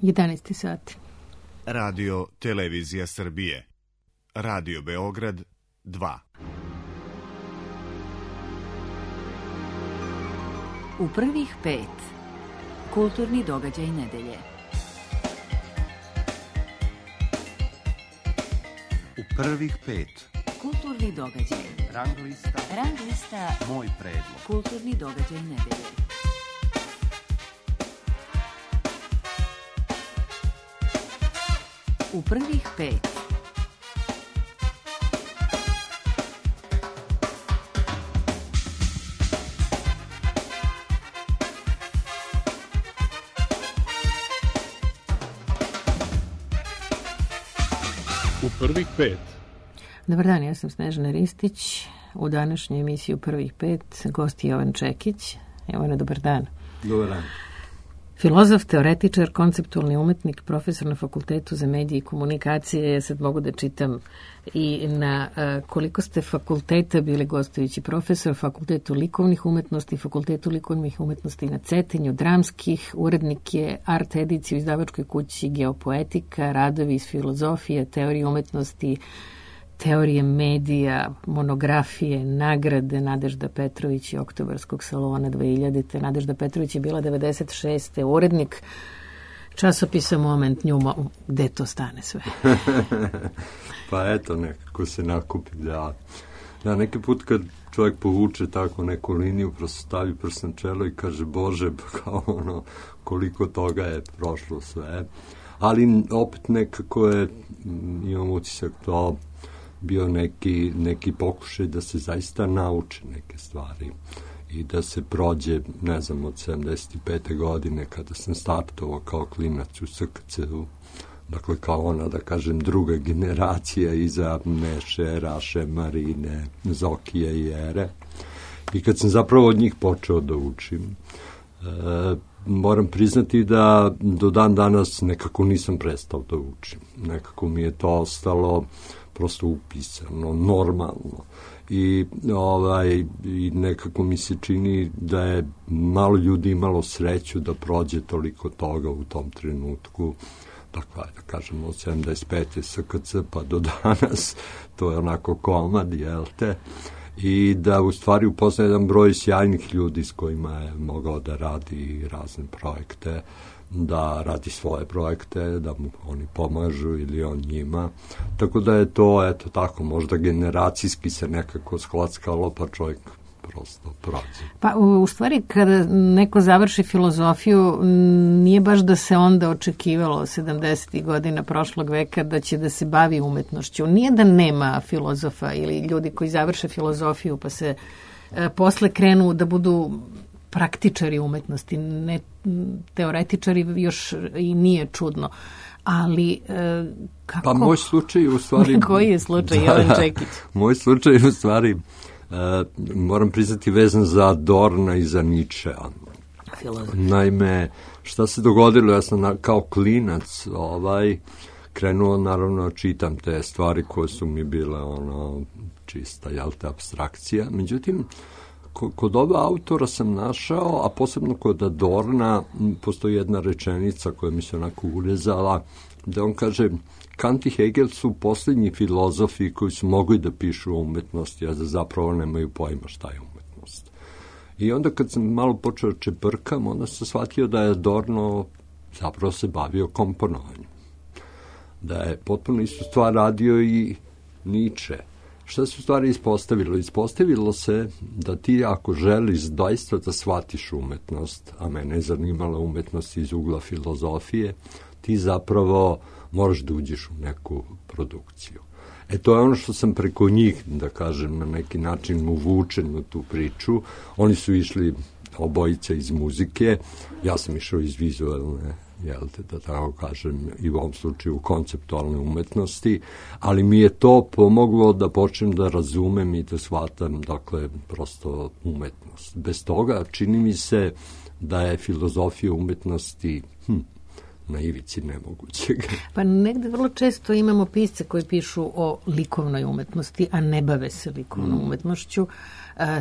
11 sati. Radio Televizija Srbije. Radio Beograd 2. U prvih 5. Kulturni događaj nedelje. U prvih 5. Kulturni događaj. Rang lista. Moj predlog. Kulturni događaj nedelje. U prvih 5. U prvih 5. Dobar dan, ja sam Snežana Ristić. U današnjoj emisiji U prvih 5 gost je Jovan Čekić. Jovane, dobar dan. Dobar dan. Filozof, teoretičar, konceptualni umetnik, profesor na Fakultetu za medije i komunikacije. Ja sad mogu da čitam i na koliko ste fakulteta bili gostujući profesor, Fakultetu likovnih umetnosti, Fakultetu likovnih umetnosti na Cetinju, dramskih, urednik je art edicije u izdavačkoj kući Geopoetika, radovi iz filozofije, teorije umetnosti, teorije medija, monografije, nagrade Nadežda Petrović i Oktobarskog salona 2000. Nadežda Petrović je bila 96. urednik časopisa Moment Njuma. Gde to stane sve? Pa eto, nekako se nakupi. Da, neki put kad čovjek povuče tako neku liniju, prosto stavi prst na čelo i kaže, Bože, kao ono, koliko toga je prošlo sve. Ali opet nekako je, imam utisak, to bio neki pokušaj da se zaista nauče neke stvari i da se prođe, ne znam, od 75. godine kada sam startovao kao klinac u SKC-u, dakle kao ona, da kažem, druga generacija iza Neše, Raše, Marine, Zokije i Ere. I kad sam zapravo od njih počeo da učim, moram priznati da do dan danas nekako nisam prestao da učim. Nekako mi je to ostalo prosto upisano, normalno. I nekako mi se čini da je malo ljudi imalo sreću da prođe toliko toga u tom trenutku. Dakle, da kažemo od 75. SKC pa do danas, to je onako komad, jel te? I da u stvari upozna jedan broj sjajnih ljudi s kojima je mogao da radi razne projekte, da radi svoje projekte, da mu oni pomažu ili on njima. Tako da je to, eto tako, možda generacijski se nekako sklackalo, pa čovjek prosto prođe. Pa u stvari kada neko završi filozofiju, nije baš da se onda očekivalo 70. godina prošlog veka da će da se bavi umetnošću. Nije da nema filozofa ili ljudi koji završe filozofiju pa se posle krenu da budu praktičari umetnosti, ne teoretičari, još i nije čudno. Ali kako? Pa moj slučaj u stvari... Koji je slučaj, Jovan Čekić? Moj slučaj u stvari, moram priznati, vezan za Adorna i za Nietzschea. Naime, šta se dogodilo, ja sam kao klinac krenuo, naravno, čitam te stvari koje su mi bile čista, apstrakcija. Međutim, kod ova autora sam našao, a posebno kod Adorna, postoji jedna rečenica koja mi se onako urezala, da on kaže, Kant i Hegel su posljednji filozofi koji su mogli da pišu o umetnosti, a da zapravo nemaju pojma šta je umetnost. I onda kad sam malo počeo čeprkam, onda sam shvatio da je Adorno zapravo se bavio komponovanjem. Da je potpuno istu stvar radio i Nietzsche. Šta se u stvari ispostavilo? Ispostavilo se da ti ako želiš doista da shvatiš umetnost, a mene je zanimala umetnost iz ugla filozofije, ti zapravo moraš da uđeš u neku produkciju. To je ono što sam preko njih, da kažem, na neki način uvučen u tu priču. Oni su išli obojica iz muzike, ja sam išao iz vizualne, da tako kažem, i u ovom slučaju konceptualne umetnosti, ali mi je to pomoglo da počnem da razumem i da shvatam, dakle, prosto umetnost. Bez toga čini mi se da je filozofija umetnosti na ivici nemogućeg. Pa negde vrlo često imamo pisce koji pišu o likovnoj umetnosti, a ne bave se likovnom umetnošću.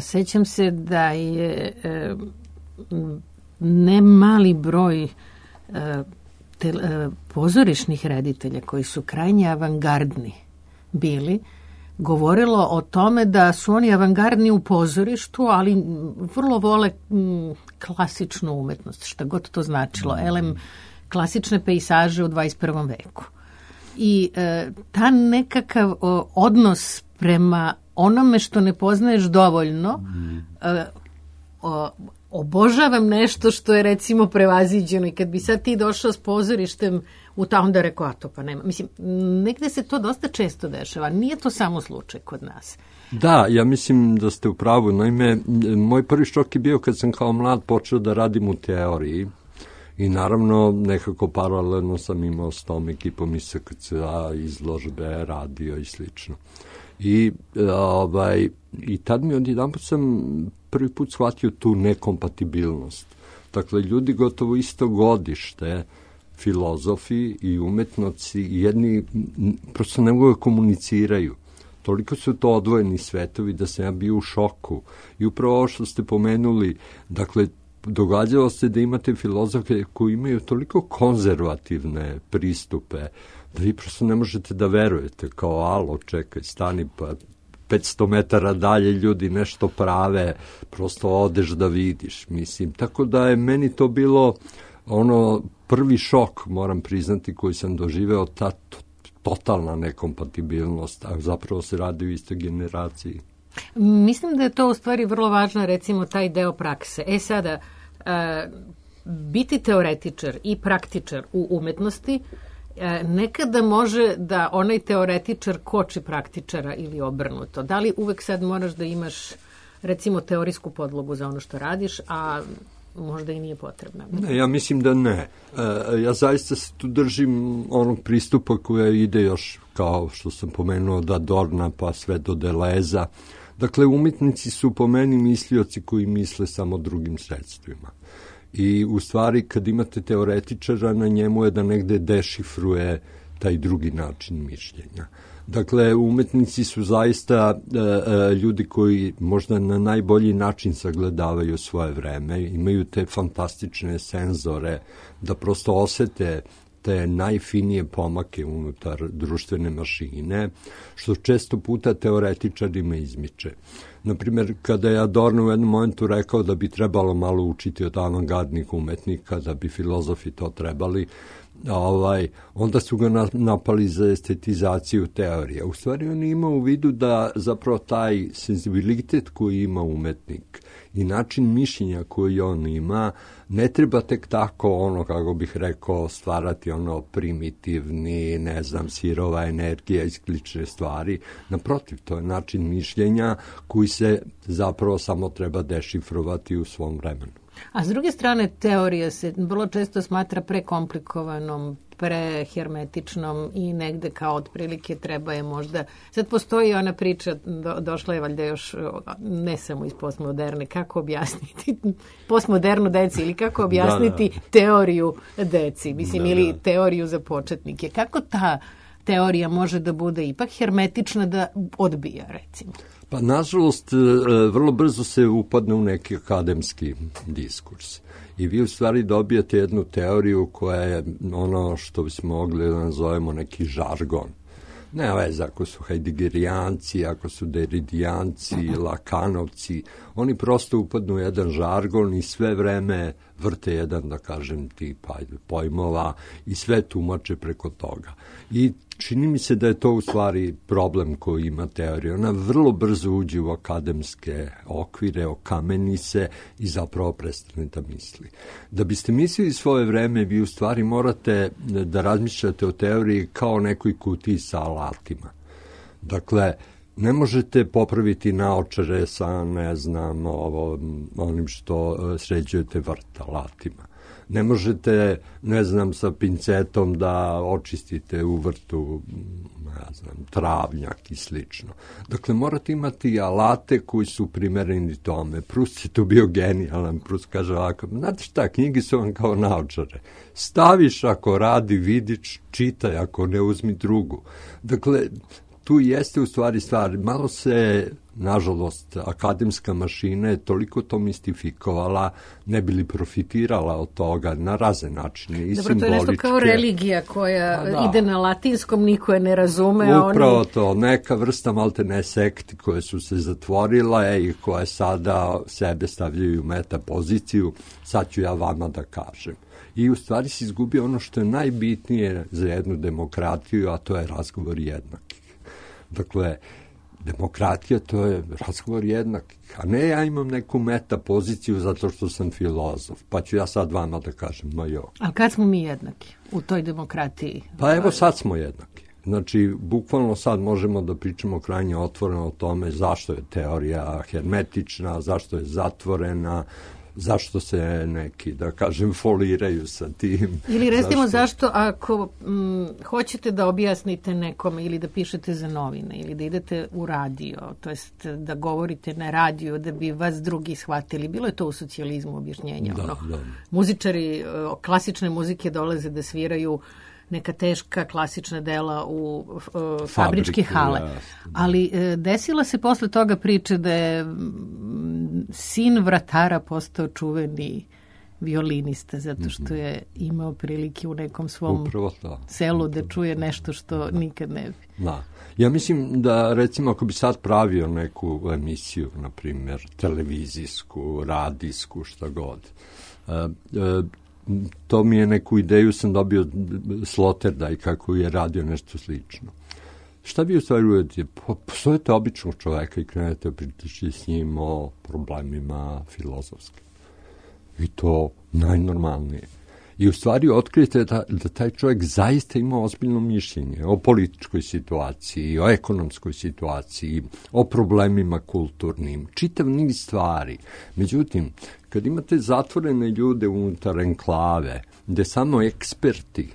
Sećam se da je ne mali broj pozorišnih reditelja koji su krajnje avangardni bili, govorilo o tome da su oni avangardni u pozorištu, ali vrlo vole klasičnu umetnost, šta god to značilo, klasične pejsaže u 21. veku. I ta nekakav odnos prema onome što ne poznaješ dovoljno, obožavam nešto što je recimo prevaziđeno i kad bi sad ti došao s pozorištem u ta onda rekao, a to pa nema. Mislim, negde se to dosta često dešava, nije to samo slučaj kod nas. Da, ja mislim da ste u pravu. Naime, moj prvi šok je bio kad sam kao mlad počeo da radim u teoriji i naravno nekako paralelno sam imao s tom ekipom iz SKC-a, izložbe, radio i slično. I tad mi odjedanput sam prvi put shvatio tu nekompatibilnost. Dakle, ljudi gotovo isto godište, filozofi i umetnici, jedni prosto ne mogu da komuniciraju. Toliko su to odvojeni svetovi da sam ja bio u šoku. I upravo ovo što ste pomenuli, dakle, događalo se da imate filozofe koji imaju toliko konzervativne pristupe da vi prosto ne možete da verujete, kao alo, čekaj, stani, pa 500 metara dalje ljudi nešto prave, prosto odeš da vidiš, mislim. Tako da je meni to bilo prvi šok, moram priznati, koji sam doživeo, ta totalna nekompatibilnost, a zapravo se radi u istoj generaciji. Mislim da je to u stvari vrlo važno, recimo, taj deo prakse. Sada, biti teoretičar i praktičar u umetnosti nekada može da onaj teoretičar koči praktičara ili obrnuto. Da li uvek sad moraš da imaš, recimo, teorijsku podlogu za ono što radiš, a možda i nije potrebna? Ne, ja mislim da ne. Ja zaista se tu držim onog pristupa koja ide još, kao što sam pomenuo, da Adorna pa sve do Deleza. Dakle, umjetnici su po meni mislioci koji misle samo drugim sredstvima. I u stvari, kad imate teoretičara, na njemu je da negde dešifruje taj drugi način mišljenja. Dakle, umetnici su zaista ljudi koji možda na najbolji način sagledavaju svoje vreme, imaju te fantastične senzore da prosto osete te najfinije pomake unutar društvene mašine, što često puta teoretičarima izmiče. Naprimjer, kada je Adorno u jednom momentu rekao da bi trebalo malo učiti od avangardnih umetnika, da bi filozofi to trebali, onda su ga napali za estetizaciju teorije. U stvari on ima u vidu da zapravo taj senzibilitet koji ima umetnik i način mišljenja koji on ima ne treba tek tako kako bih rekao, stvarati primitivni, sirova energija i slične stvari. Naprotiv, to je način mišljenja koji se zapravo samo treba dešifrovati u svom vremenu. A s druge strane, teorija se vrlo često smatra prekomplikovanom, prehermetičnom i negde kao otprilike treba je možda... Sad postoji ona priča, došla je valjda još ne samo iz postmoderne, kako objasniti postmodernu deci ili kako objasniti teoriju deci, mislim, ili teoriju za početnike. Kako ta teorija može da bude ipak hermetična da odbija, recimo? Pa, nažalost, vrlo brzo se upadne u neki akademski diskurs. I vi u stvari dobijate jednu teoriju koja je ono što bismo mogli da nazovemo neki žargon. Ne veze ako su hajdegerijanci, ako su deridijanci, lakanovci, oni prosto upadnu u jedan žargon i sve vreme vrte jedan, da kažem, tip pojmova i sve tumače preko toga. I čini mi se da je to u stvari problem koji ima teorija. Ona vrlo brzo uđe u akademske okvire, okameni se i zapravo prestane da misli. Da biste mislili svoje vreme, vi u stvari morate da razmišljate o teoriji kao nekoj kutiji sa alatima. Dakle, ne možete popraviti naočare sa, onim što sređujete vrt alatima. Ne možete, sa pincetom da očistite u vrtu, travnjak i slično. Dakle, morate imati alate koji su primereni tome. Proust je tu bio genijalan. Proust kaže ovako, znate šta, knjige su vam kao naočare. Staviš ako radi, vidiš, čitaj, ako ne uzmi drugu. Dakle, tu jeste u stvari stvar. Malo se, nažalost, akademska mašina je toliko to mistifikovala, ne bi li profitirala od toga na razne načine i dobro, simboličke. To je nešto kao religija koja ide na latinskom, niko je ne razume. Upravo to, neka vrsta maltene sekti koje su se zatvorile i koje sada sebe stavljaju u meta poziciju, sad ću ja vama da kažem. I u stvari se izgubio ono što je najbitnije za jednu demokratiju, a to je razgovor jednakih. Dakle, demokratija to je razgovor jednakih, a ne ja imam neku meta poziciju zato što sam filozof, pa ću ja sad vama da kažem, ma jo. Ali kad smo mi jednaki u toj demokratiji? Pa evo sad smo jednaki. Znači, bukvalno sad možemo da pričamo krajnje otvoreno o tome zašto je teorija hermetična, zašto je zatvorena, zašto se neki, da kažem, foliraju sa tim. Ili recimo zašto ako hoćete da objasnite nekome ili da pišete za novine ili da idete u radio, to jest da govorite na radiju da bi vas drugi shvatili. Bilo je to u socijalizmu objašnjenja. Da. Muzičari klasične muzike dolaze da sviraju neka teška klasična dela u fabričke hale. Ali desila se posle toga priče da je sin vratara postao čuveni violinista zato što je imao prilike u nekom svom selu da čuje nešto što nikad ne bi. Da. Ja mislim da, recimo, ako bi sad pravio neku emisiju, na primjer, televizijsku, radijsku, šta god, to mi je neku ideju sam dobio Sloterdaj kako je radio nešto slično. Šta bi u stvari uvedite? Postojete običnog čoveka i krenete pričati s njim o problemima filozofskim. I to najnormalnije. I u stvari otkrijete da taj čovjek zaista ima ozbiljno mišljenje o političkoj situaciji, o ekonomskoj situaciji, o problemima kulturnim, čitav niz stvari. Međutim, kad imate zatvorene ljude unutar enklave, gde samo eksperti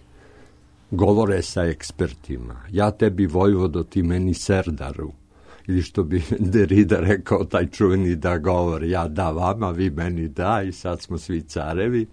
govore sa ekspertima, ja tebi vojvodo, ti meni serdaru, ili što bi Derrida rekao, taj čuveni da govori, ja da vama, vi meni da, i sad smo svi carevi,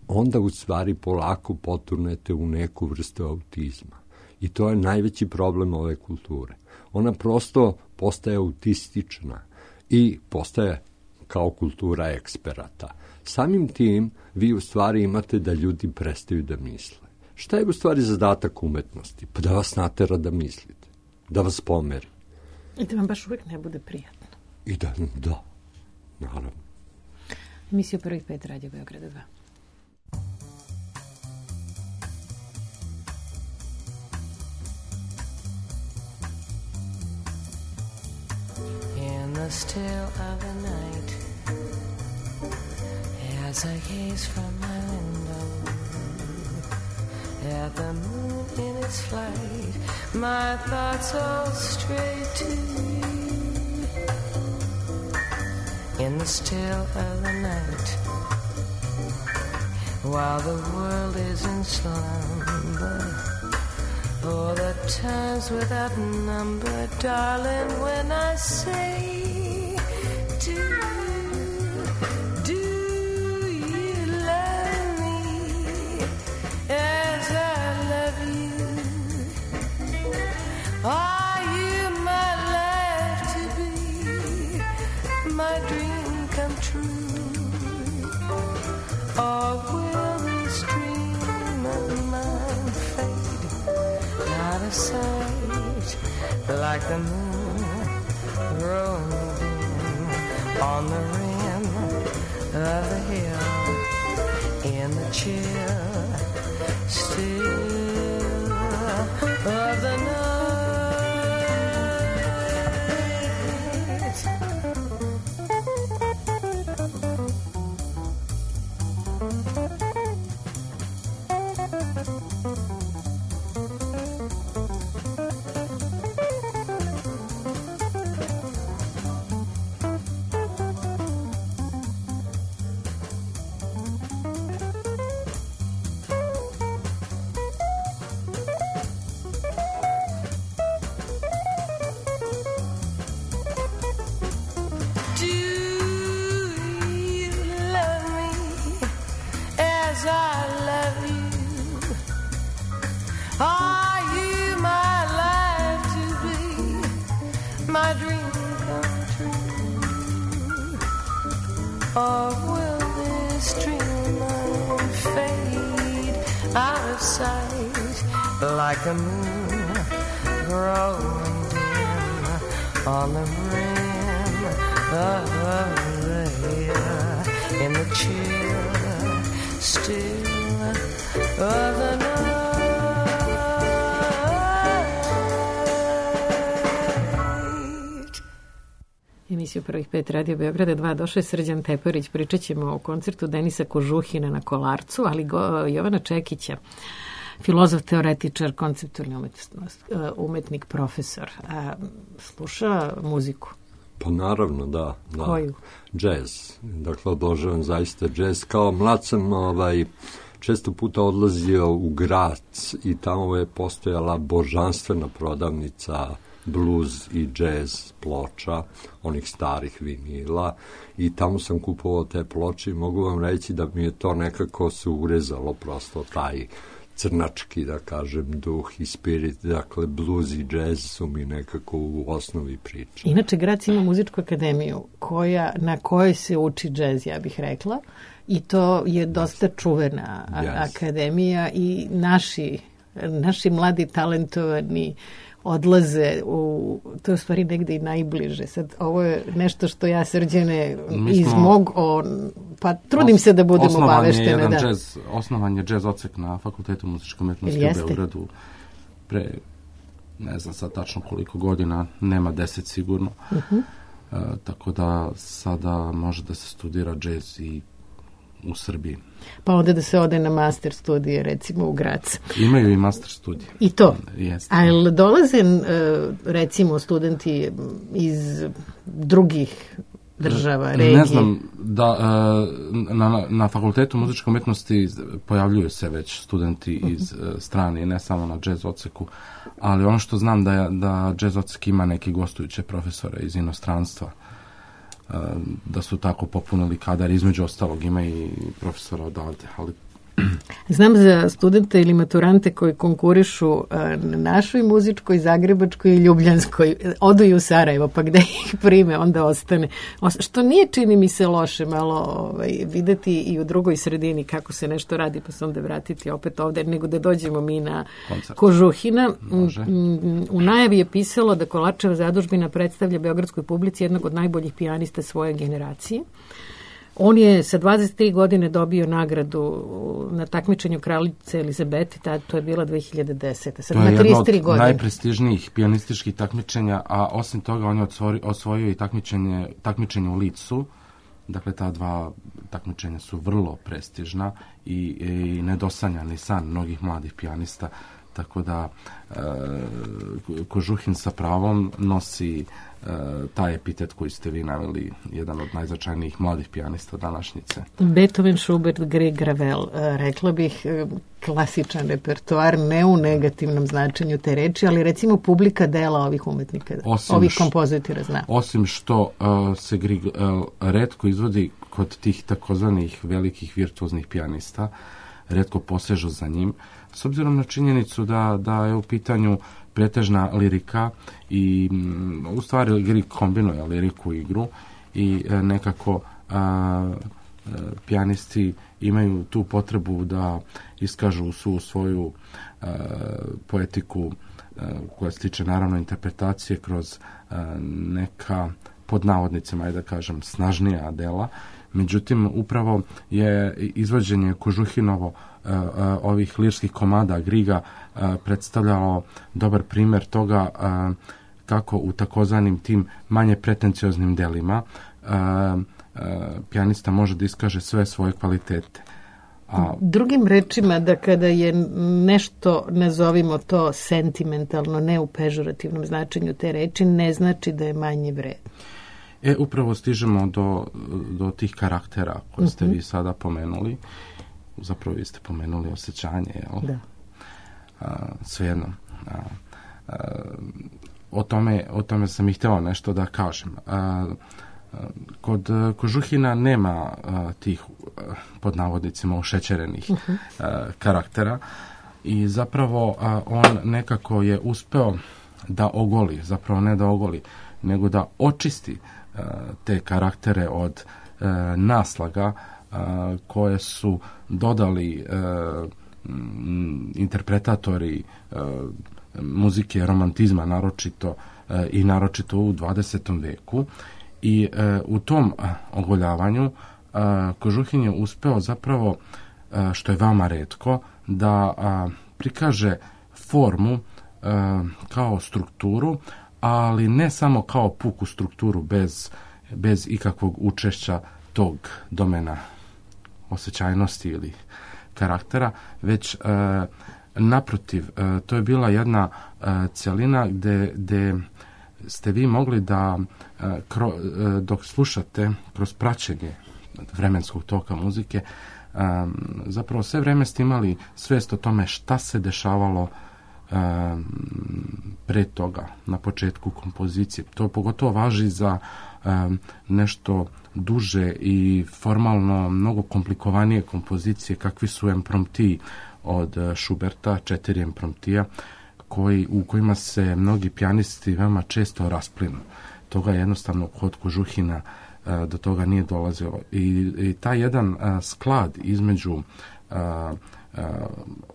onda u stvari polako poturnete u neku vrstu autizma. I to je najveći problem ove kulture. Ona prosto postaje autistična i postaje kao kultura eksperata. Samim tim vi u stvari imate da ljudi prestaju da misle. Šta je u stvari zadatak umetnosti? Pa da vas natera da mislite, da vas pomeri. I da vam baš uvijek ne bude prijatno. I da, naravno. Emisija Prvih 5 Radio Beograda 2. In the still of the night, as I gaze from my window at the moon in its flight, my thoughts all stray to you. In the still of the night, while the world is in slumber, oh, the times without number, darling, when I say, do you love me as I love you? Are you my life to be, my dream come true? Or will this dream of mine fade out of sight, like the moon growing dim on the rim of the hill, in the chill still of the night. Are you my life to be, or will this dreamland fade out of sight like a moon growing dim on the rim of the hill in the chill still of the night. Emisiju Prvih pet Radio Beograda 2 došao je Srđan Teparić. Pričat ćemo o koncertu Denisa Kožuhina na Kolarcu, ali Jovana Čekića, filozof, teoretičar, konceptualni umetnik, profesor. Sluša muziku? Pa naravno, da. Koju? Džez. Dakle, obožavam zaista džez. Kao mlad sam često puta odlazio u Grac i tamo je postojala božanstvena prodavnica blues i džez ploča, onih starih vinila, i tamo sam kupovao te ploče i mogu vam reći da mi je to nekako se urezalo, prosto taj crnački, da kažem, duh i spirit. Dakle, blues i džez su mi nekako u osnovi priče. Inače, Grac ima muzičku akademiju na kojoj se uči džez, ja bih rekla, i to je dosta čuvena akademija i naši mladi talentovani odlaze to je u stvari negde i najbliže. Sad, ovo je nešto što ja, Srđane, pa trudim se da budem obaveštena. Osnovan je džez odsek na Fakultetu muzičke umetnosti u Beogradu pre, ne znam sad tačno koliko godina, nema 10 sigurno. Tako da sada može da se studira džez i u Srbiji. Pa onda da se ode na master studije, recimo u Grac. Imaju i master studije. I to? Jeste. Ali dolaze, recimo, studenti iz drugih država, regije? Ne znam, na Fakultetu muzičke umetnosti pojavljuju se već studenti iz strane, ne samo na džez odseku, ali ono što znam da džez odsek ima neki gostujuće profesore iz inostranstva, da su tako popunili kadar, između ostalog ima i profesora odavde, ali znam za studente ili maturante koji konkurišu na našoj muzičkoj, zagrebačkoj i ljubljanskoj, odu i u Sarajevo, pa gde ih prime, onda ostane. Što nije, čini mi se, loše malo videti i u drugoj sredini kako se nešto radi, pa se onda vratiti opet ovde, nego da dođemo mi na koncert Kožuhina. U najavi je pisalo da Kolarčeva zadužbina predstavlja beogradskoj publici jednog od najboljih pijanista svoje generacije. On je sa 23 godine dobio nagradu na takmičenju kraljice Elizabete, to je bila 2010. Sad ima 33 godine. To je jedno od najprestižnijih pijanističkih takmičenja, a osim toga on je osvojio i takmičenje u Licu. Dakle, ta dva takmičenja su vrlo prestižna i nedosanjani san mnogih mladih pijanista. Tako da Kožuhin sa pravom nosi taj epitet koji ste vi naveli, jedan od najznačajnijih mladih pijanista današnjice. Beethoven, Schubert, Grieg, Ravel, rekla bih klasičan repertoar, ne u negativnom značenju te reči, ali recimo publika dela ovih umetnika, ovih kompozitora zna. Osim što se Grieg retko izvodi kod tih takozvanih velikih virtuoznih pijanista, retko posežu za njim, s obzirom na činjenicu da je u pitanju pretežna lirika i u stvari Grieg kombinuje liriku i igru i nekako pijanisti imaju tu potrebu da iskažu svoju poetiku koja se tiče naravno interpretacije kroz neka, pod navodnicima, da kažem, snažnija dela. Međutim, upravo je izvođenje Kožuhinovo ovih lirskih komada Griega predstavljalo dobar primjer toga kako u takozvanim tim manje pretencioznim delima pijanista može da iskaže sve svoje kvalitete. Drugim rečima, da kada je nešto, nazovimo to sentimentalno, ne u pežorativnom značenju te reči, ne znači da je manje vredno. Upravo stižemo do tih karaktera koje ste vi sada pomenuli. Zapravo vi ste pomenuli osjećanje, jel? Da. Svejedno. O tome sam i htjela nešto da kažem. Kod Kožuhina nema tih, pod navodnicima, ušećerenih karaktera i zapravo on nekako je uspeo da ogoli, zapravo ne da ogoli, nego da očisti te karaktere od naslaga koje su dodali interpretatori muzike romantizma naročito u 20. veku i u tom ogoljavanju Kožuhin je uspeo zapravo, što je veoma retko, da prikaže formu kao strukturu, ali ne samo kao puku strukturu bez ikakvog učešća tog domena osjećajnosti ili karaktera, već naprotiv, to je bila jedna cjelina gdje ste vi mogli da dok slušate kroz praćenje vremenskog toka muzike, zapravo sve vrijeme ste imali svijest o tome šta se dešavalo pre toga, na početku kompozicije. To pogotovo važi za nešto duže i formalno mnogo komplikovanije kompozicije kakvi su imprompti od Schuberta, 4 impromptija, u kojima se mnogi pijanisti veoma često rasplinu. Toga jednostavno kod Kožuhina do toga nije dolazilo. I taj jedan sklad između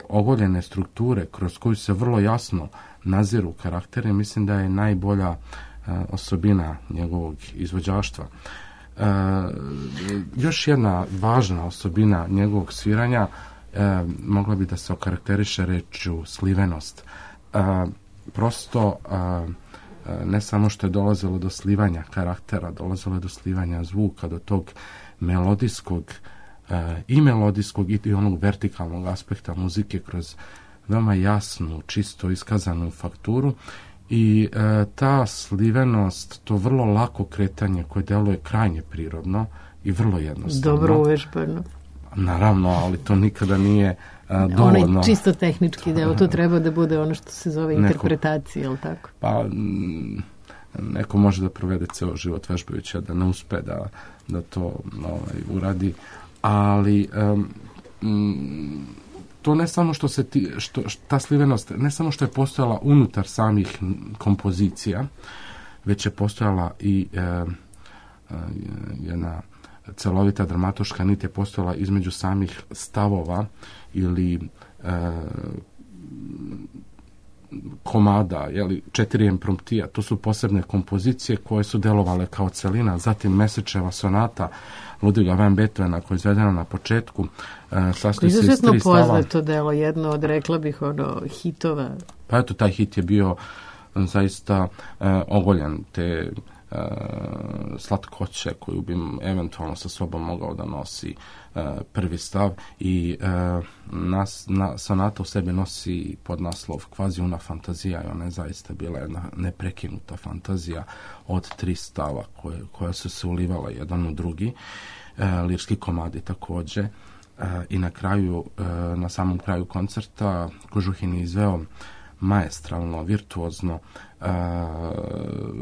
ogoljene strukture kroz koju se vrlo jasno naziru karakteri, mislim da je najbolja osobina njegovog izvođaštva. Još jedna važna osobina njegovog sviranja mogla bi da se okarakteriše rečju slivenost. Prosto ne samo što je dolazilo do slivanja karaktera, dolazilo je do slivanja zvuka, do tog melodijskog i onog vertikalnog aspekta muzike kroz veoma jasnu, čisto iskazanu fakturu i ta slivenost, to vrlo lako kretanje koje deluje krajnje prirodno i vrlo jednostavno. Dobro uvežbano. Naravno, ali to nikada nije dovoljno. Onaj čisto tehnički deo, to treba da bude ono što se zove interpretacija, je li tako? Pa, neko može da provede ceo život vežbajući, a da ne uspe da to uradi, ali to ne samo ta slivenost, ne samo što je postojala unutar samih kompozicija, već je postojala i jedna celovita dramatoška nit je postojala između samih stavova ili komada, 4 impromptija. To su posebne kompozicije koje su delovale kao celina. Zatim Mesečeva sonata Ludviga van Beethovena koja je izvedena na početku. Sastoji se iz 3 stava. Izuzetno poznato delo, jedno od, rekla bih, hitova. Pa eto, taj hit je bio zaista ogoljen te slatkoće koju bi eventualno sa sobom mogao da nosi prvi stav i sonata u sebi nosi podnaslov Kvazi una fantazija i ona je zaista bila jedna neprekinuta fantazija od 3 stava koja su se ulivala jedan u drugi, lirski komadi također i na samom kraju koncerta Kožuhin je izveo maestralno, virtuozno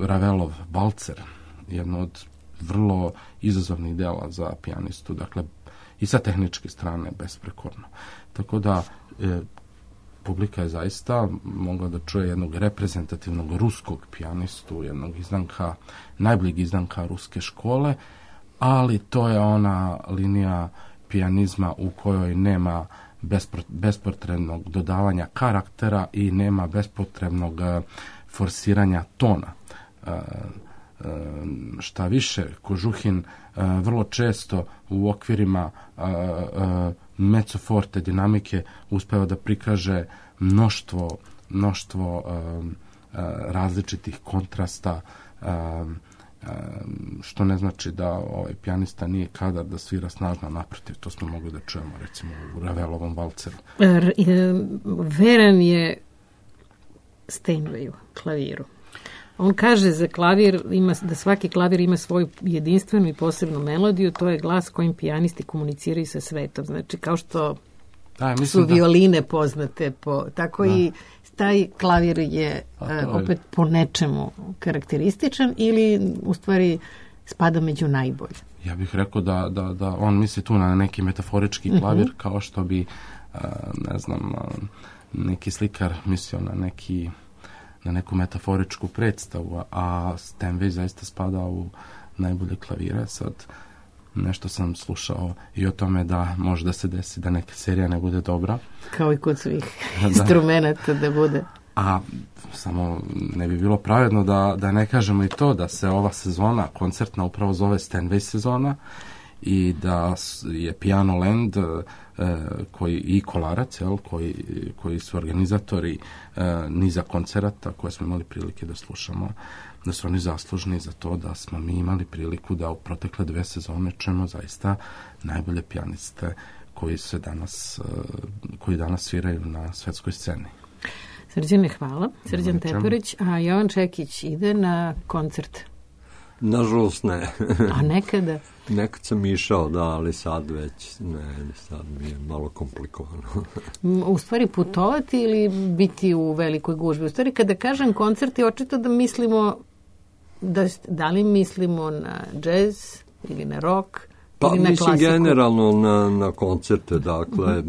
Ravelov valcer, jedno od vrlo izazovnih dela za pijanistu, dakle i sa tehničke strane besprekorno. Tako da publika je zaista mogla da čuje jednog reprezentativnog ruskog pijanistu, jednog najboljeg izdanka ruske škole, ali to je ona linija pijanizma u kojoj nema bespotrebnog dodavanja karaktera i nema bespotrebnog forsiranja tona. Šta više, Kožuhin vrlo često u okvirima mezzo forte dinamike uspeva da prikaže mnoštvo različitih kontrasta, što ne znači da ovaj pijanista nije kadar da svira snažno, naprotiv, to smo mogli da čujemo recimo u Ravelovom valceru. Veran je Steinwayu, klaviru. On kaže za klavir da svaki klavir ima svoju jedinstvenu i posebnu melodiju, to je glas kojim pijanisti komuniciraju sa svetom. Znači, kao što su violine poznate, tako i taj klavir je opet po nečemu karakterističan ili u stvari spada među najbolje. Ja bih rekao da on misli tu na neki metaforički klavir, kao što bi neki slikar mislio na neku metaforičku predstavu, a Steinway zaista spada u najbolje klavire. Sad, nešto sam slušao i o tome da može da se desi da neka serija ne bude dobra. Kao i kod svih instrumenta da bude. A samo ne bi bilo pravedno da ne kažemo i to da se ova sezona koncertna upravo zove Steinway sezona i da je Piano Land koji i Kolarac, koji su organizatori niza koncerata koje smo imali prilike da slušamo, da su oni zaslužni za to da smo mi imali priliku da u protekle 2 sezone čujemo zaista najbolje pijaniste koji danas sviraju na svetskoj sceni. Srđane, hvala. Srđan Teporić, a Jovan Čekić ide na koncert? Nažalost ne. A nekada? Nekad sam išao, da, ali sad već ne, sad mi je malo komplikovano. U stvari putovati ili biti u velikoj gužbi? U stvari kada kažem koncerti, očito da mislimo, da li mislimo na džez ili na rock? Pa mislim generalno na koncerte, dakle,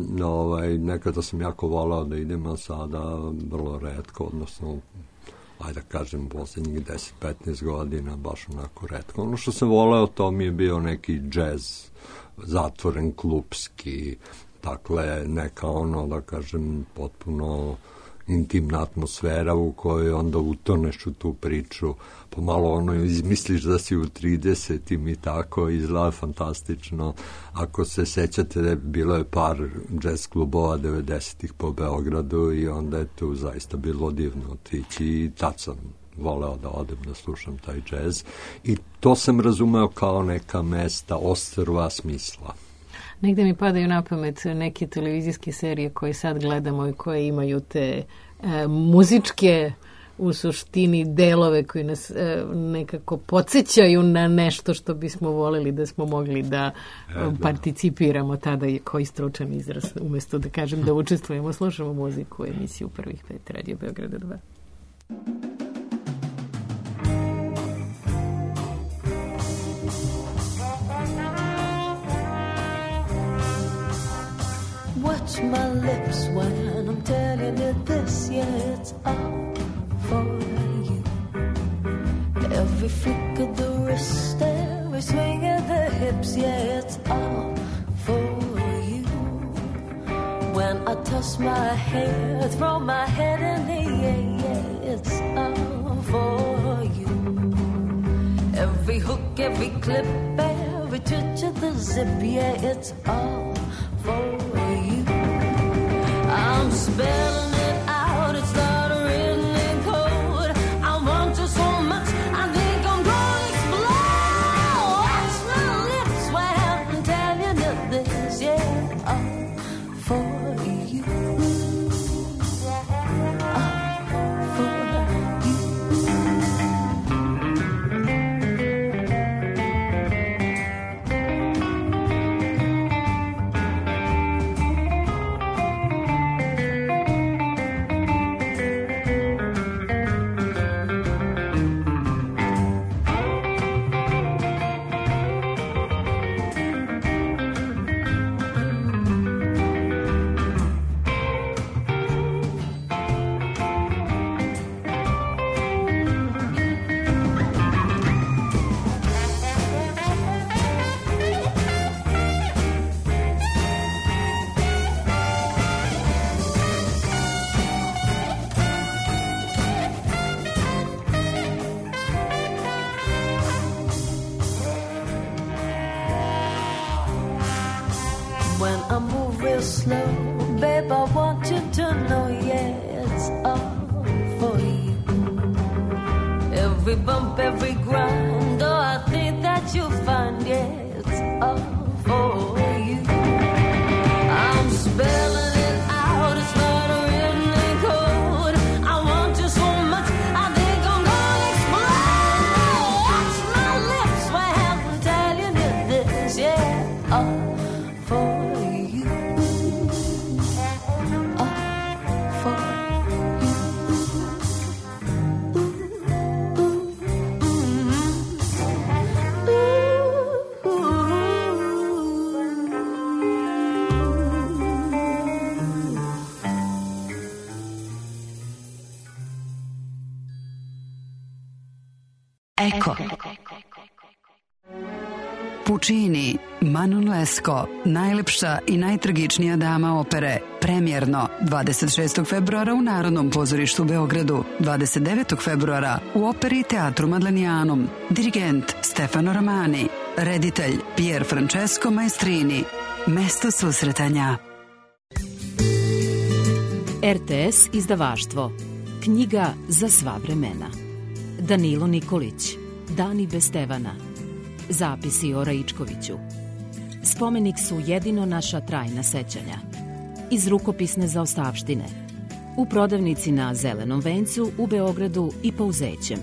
nekada sam jako volao da idem, a sada vrlo retko, odnosno, ajde da kažem, posljednjih 10-15 godina, baš onako retko. Ono što sam volao, to mi je bio neki džez, zatvoren, klupski, dakle, neka da kažem, potpuno intimna atmosfera u kojoj onda utoneš u tu priču, pa malo izmisliš da si u 30-im i tako, izgleda fantastično. Ako se sećate, bilo je par jazz klubova 90-ih po Beogradu i onda je tu zaista bilo divno otići i tad sam voleo da odem da slušam taj jazz i to sam razumeo kao neka mesta ostrva smisla. Negde mi padaju na pamet neke televizijske serije koje sad gledamo i koje imaju te muzičke u suštini delove koji nas nekako podsjećaju na nešto što bismo voleli da smo mogli da participiramo. Tada je koji stručan izraz, umjesto da kažem da učestvujemo, slušamo muziku u emisiju Prvih 5 Radio Beograda 2. Watch my lips when I'm telling you this, yeah, it's all for you. Every flick of the wrist, every swing of the hips, yeah, it's all for you. When I toss my hair, throw my head in the air, yeah, it's all for you. Every hook, every clip, every twitch of the zip, yeah, it's all for you. I'm spelling it out, it's not written in code. I want you so much, I think I'm gonna explode. Watch my lips when I'm telling you this, yeah, all for you. When I move real slow, babe, I want you to know, yeah, it's all for you. Every bump, every grind, oh, I think that you'll find, yeah, it's all for you. I'm spelling it out, it's not written in code. I want you so much, I think I'm gonna explode. Watch my lips when I'm telling you this, yeah, all for you. All for you. Eko. Puccini, Manon Lescaut, najlepša i najtragičnija dama opere, premijerno 26. februara u Narodnom pozorištu u Beogradu, 29. februara u Operi i teatru Madlenijanum, dirigent Stefano Ramani, reditelj Pier Francesco Maestrini, mesto susretanja. RTS izdavaštvo, knjiga za sva vremena. Danilo Nikolić, Dani bez Stevana. Zapisi o Raičkoviću. Spomenik su jedino naša trajna sećanja. Iz rukopisne zaostavštine. U prodavnici na Zelenom vencu u Beogradu i Pouzećem.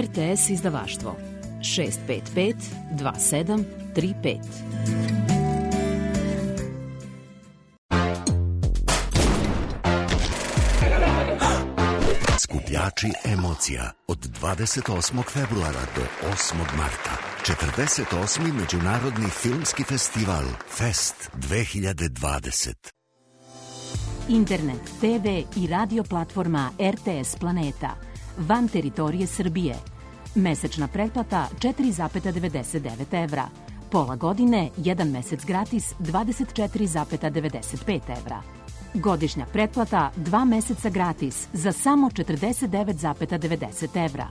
RTS izdavaštvo 655 2735. Skupljači emocija od 28. februara do 8. marta. 48. Međunarodni filmski festival Fest 2020. Internet, TV i radio platforma RTS Planeta. Van teritorije Srbije. Mesečna pretplata 4,99 evra. Pola godine, 1 mesec gratis 24,95 evra. Godišnja pretplata 2 meseca gratis za samo 49,90 evra.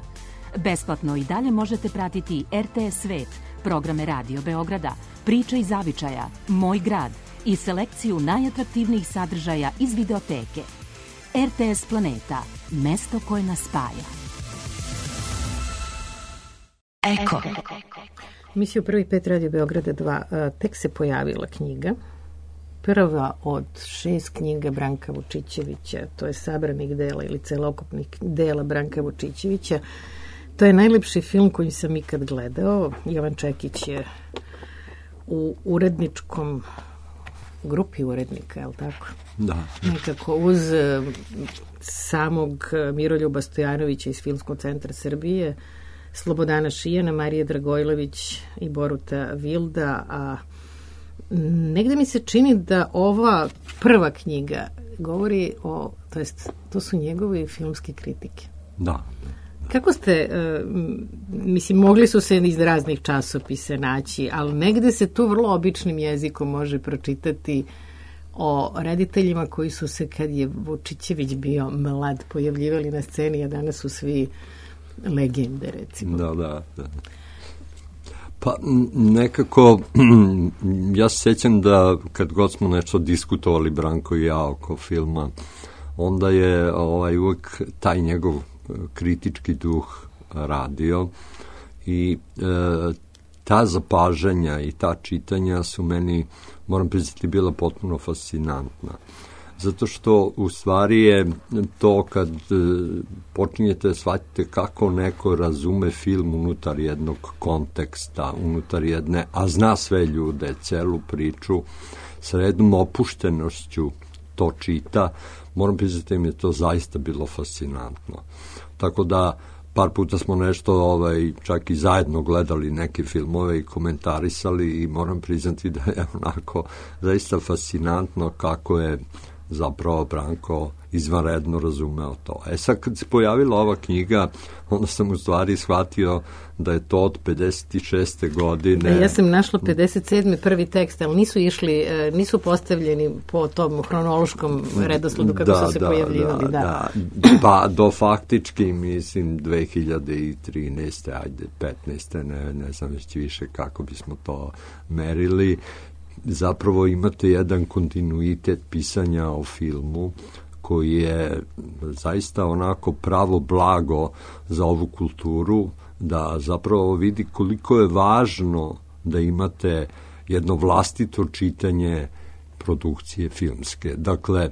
Besplatno i dalje možete pratiti RTS Svet, programe Radio Beograda, Priča iz zavičaja, Moj grad i selekciju najatraktivnijih sadržaja iz videoteke. RTS Planeta, mesto koje nas spaja. Eko. Misiju Prvi pet Radio Beograda 2 tek se pojavila knjiga. Prva od 6 knjiga Branka Vučićevića, to je sabranih dela ili celokupnih dela Branka Vučićevića. To je najlepši film koji sam ikad gledao. Jovan Čekić je u uredničkom grupi urednika, je li tako? Da. Nekako uz samog Miroljuba Stojanovića iz Filmskog centra Srbije, Slobodana Šijana, Marije Dragojlović i Boruta Vilda, a negde mi se čini da ova prva knjiga govori o, to jest, to su njegove filmske kritike. Da. Kako ste, mislim, mogli su se iz raznih časopisa naći, ali negde se tu vrlo običnim jezikom može pročitati o rediteljima koji su se, kad je Vučićević bio mlad, pojavljivali na sceni, a danas su svi legende, recimo. Da. Pa nekako, ja se sjećam da kad god smo nešto diskutovali Branko i ja oko filma, onda je uvek taj njegov kritički duh radio i ta zapažanja i ta čitanja su meni, moram priznati, bila potpuno fascinantna. Zato što u stvari je to kad počinjete da shvatite kako neko razume film unutar jednog konteksta, unutar jedne, a zna sve ljude, celu priču, sa jednom opuštenošću to čita, moram priznati da mi je to zaista bilo fascinantno. Tako da par puta smo nešto čak i zajedno gledali neke filmove i komentarisali i moram priznati da je onako zaista fascinantno kako je zapravo Branko izvanredno razumeo to. Sad kad se pojavila ova knjiga, onda sam u stvari shvatio da je to od 56. godine. Ja sam našla 57. prvi tekst, ali nisu postavljeni po tom hronološkom redosledu kako su se pojavljivali. Da. Pa do faktički, mislim, 2013. ajde, 15. ne znam već više kako bismo to merili. Zapravo imate jedan kontinuitet pisanja o filmu koji je zaista onako pravo blago za ovu kulturu, da zapravo vidi koliko je važno da imate jedno vlastito čitanje produkcije filmske. Dakle,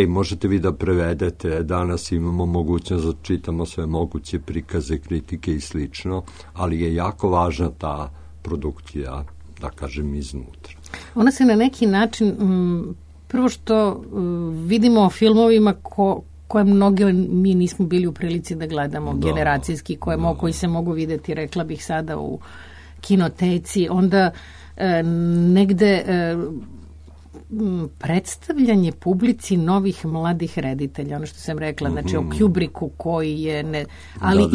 možete vi da prevedete, danas imamo mogućnost da čitamo sve moguće prikaze, kritike i slično, ali je jako važna ta produkcija, da kažem, iznutra. Ona se na neki način, prvo što vidimo o filmovima koje mnoge mi nismo bili u prilici da gledamo, generacijski, koji se mogu videti, rekla bih sada, u kinoteci, onda negde predstavljanje publici novih mladih reditelja, ono što sam rekla, znači o Kubricku koji je, ali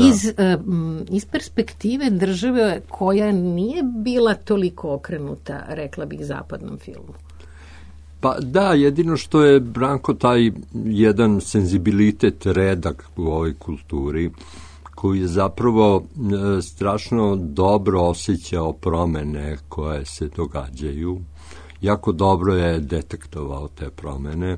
iz perspektive države koja nije bila toliko okrenuta, rekla bih, zapadnom filmu. Pa da, jedino što je Branko taj jedan senzibilitet redak u ovoj kulturi, koji je zapravo strašno dobro osjećao promene koje se događaju. Jako dobro je detektovao te promene.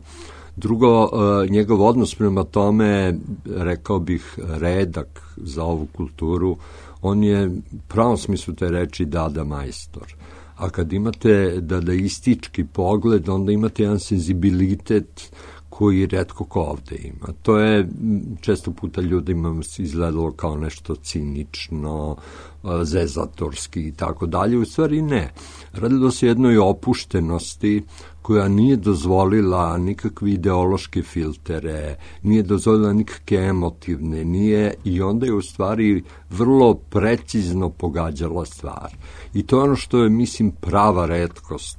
Drugo, njegov odnos prema tome, rekao bih, redak za ovu kulturu. On je u pravom smislu te reči dada majstor. A kad imate dadaistički pogled, onda imate jedan senzibilitet koji retko ko ovde ima. To je često puta ljudima izgledalo kao nešto cinično, zezatorski i tako dalje. U stvari ne. Radilo se jednoj opuštenosti koja nije dozvolila nikakve ideološke filtere, nije dozvolila nikakve emotivne, nije, i onda je u stvari vrlo precizno pogađala stvar. I to je ono što je, mislim, prava retkost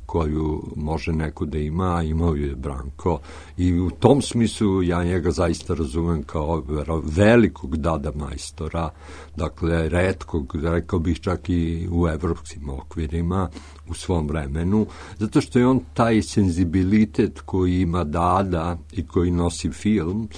koju može neko da ima, a imao je Branko. I u tom smislu ja njega zaista razumem kao velikog dada majstora, dakle retkog, rekao bih čak i u evropskim okvirima u svom vremenu, zato što je on taj senzibilitet koji ima dada i koji nosi film,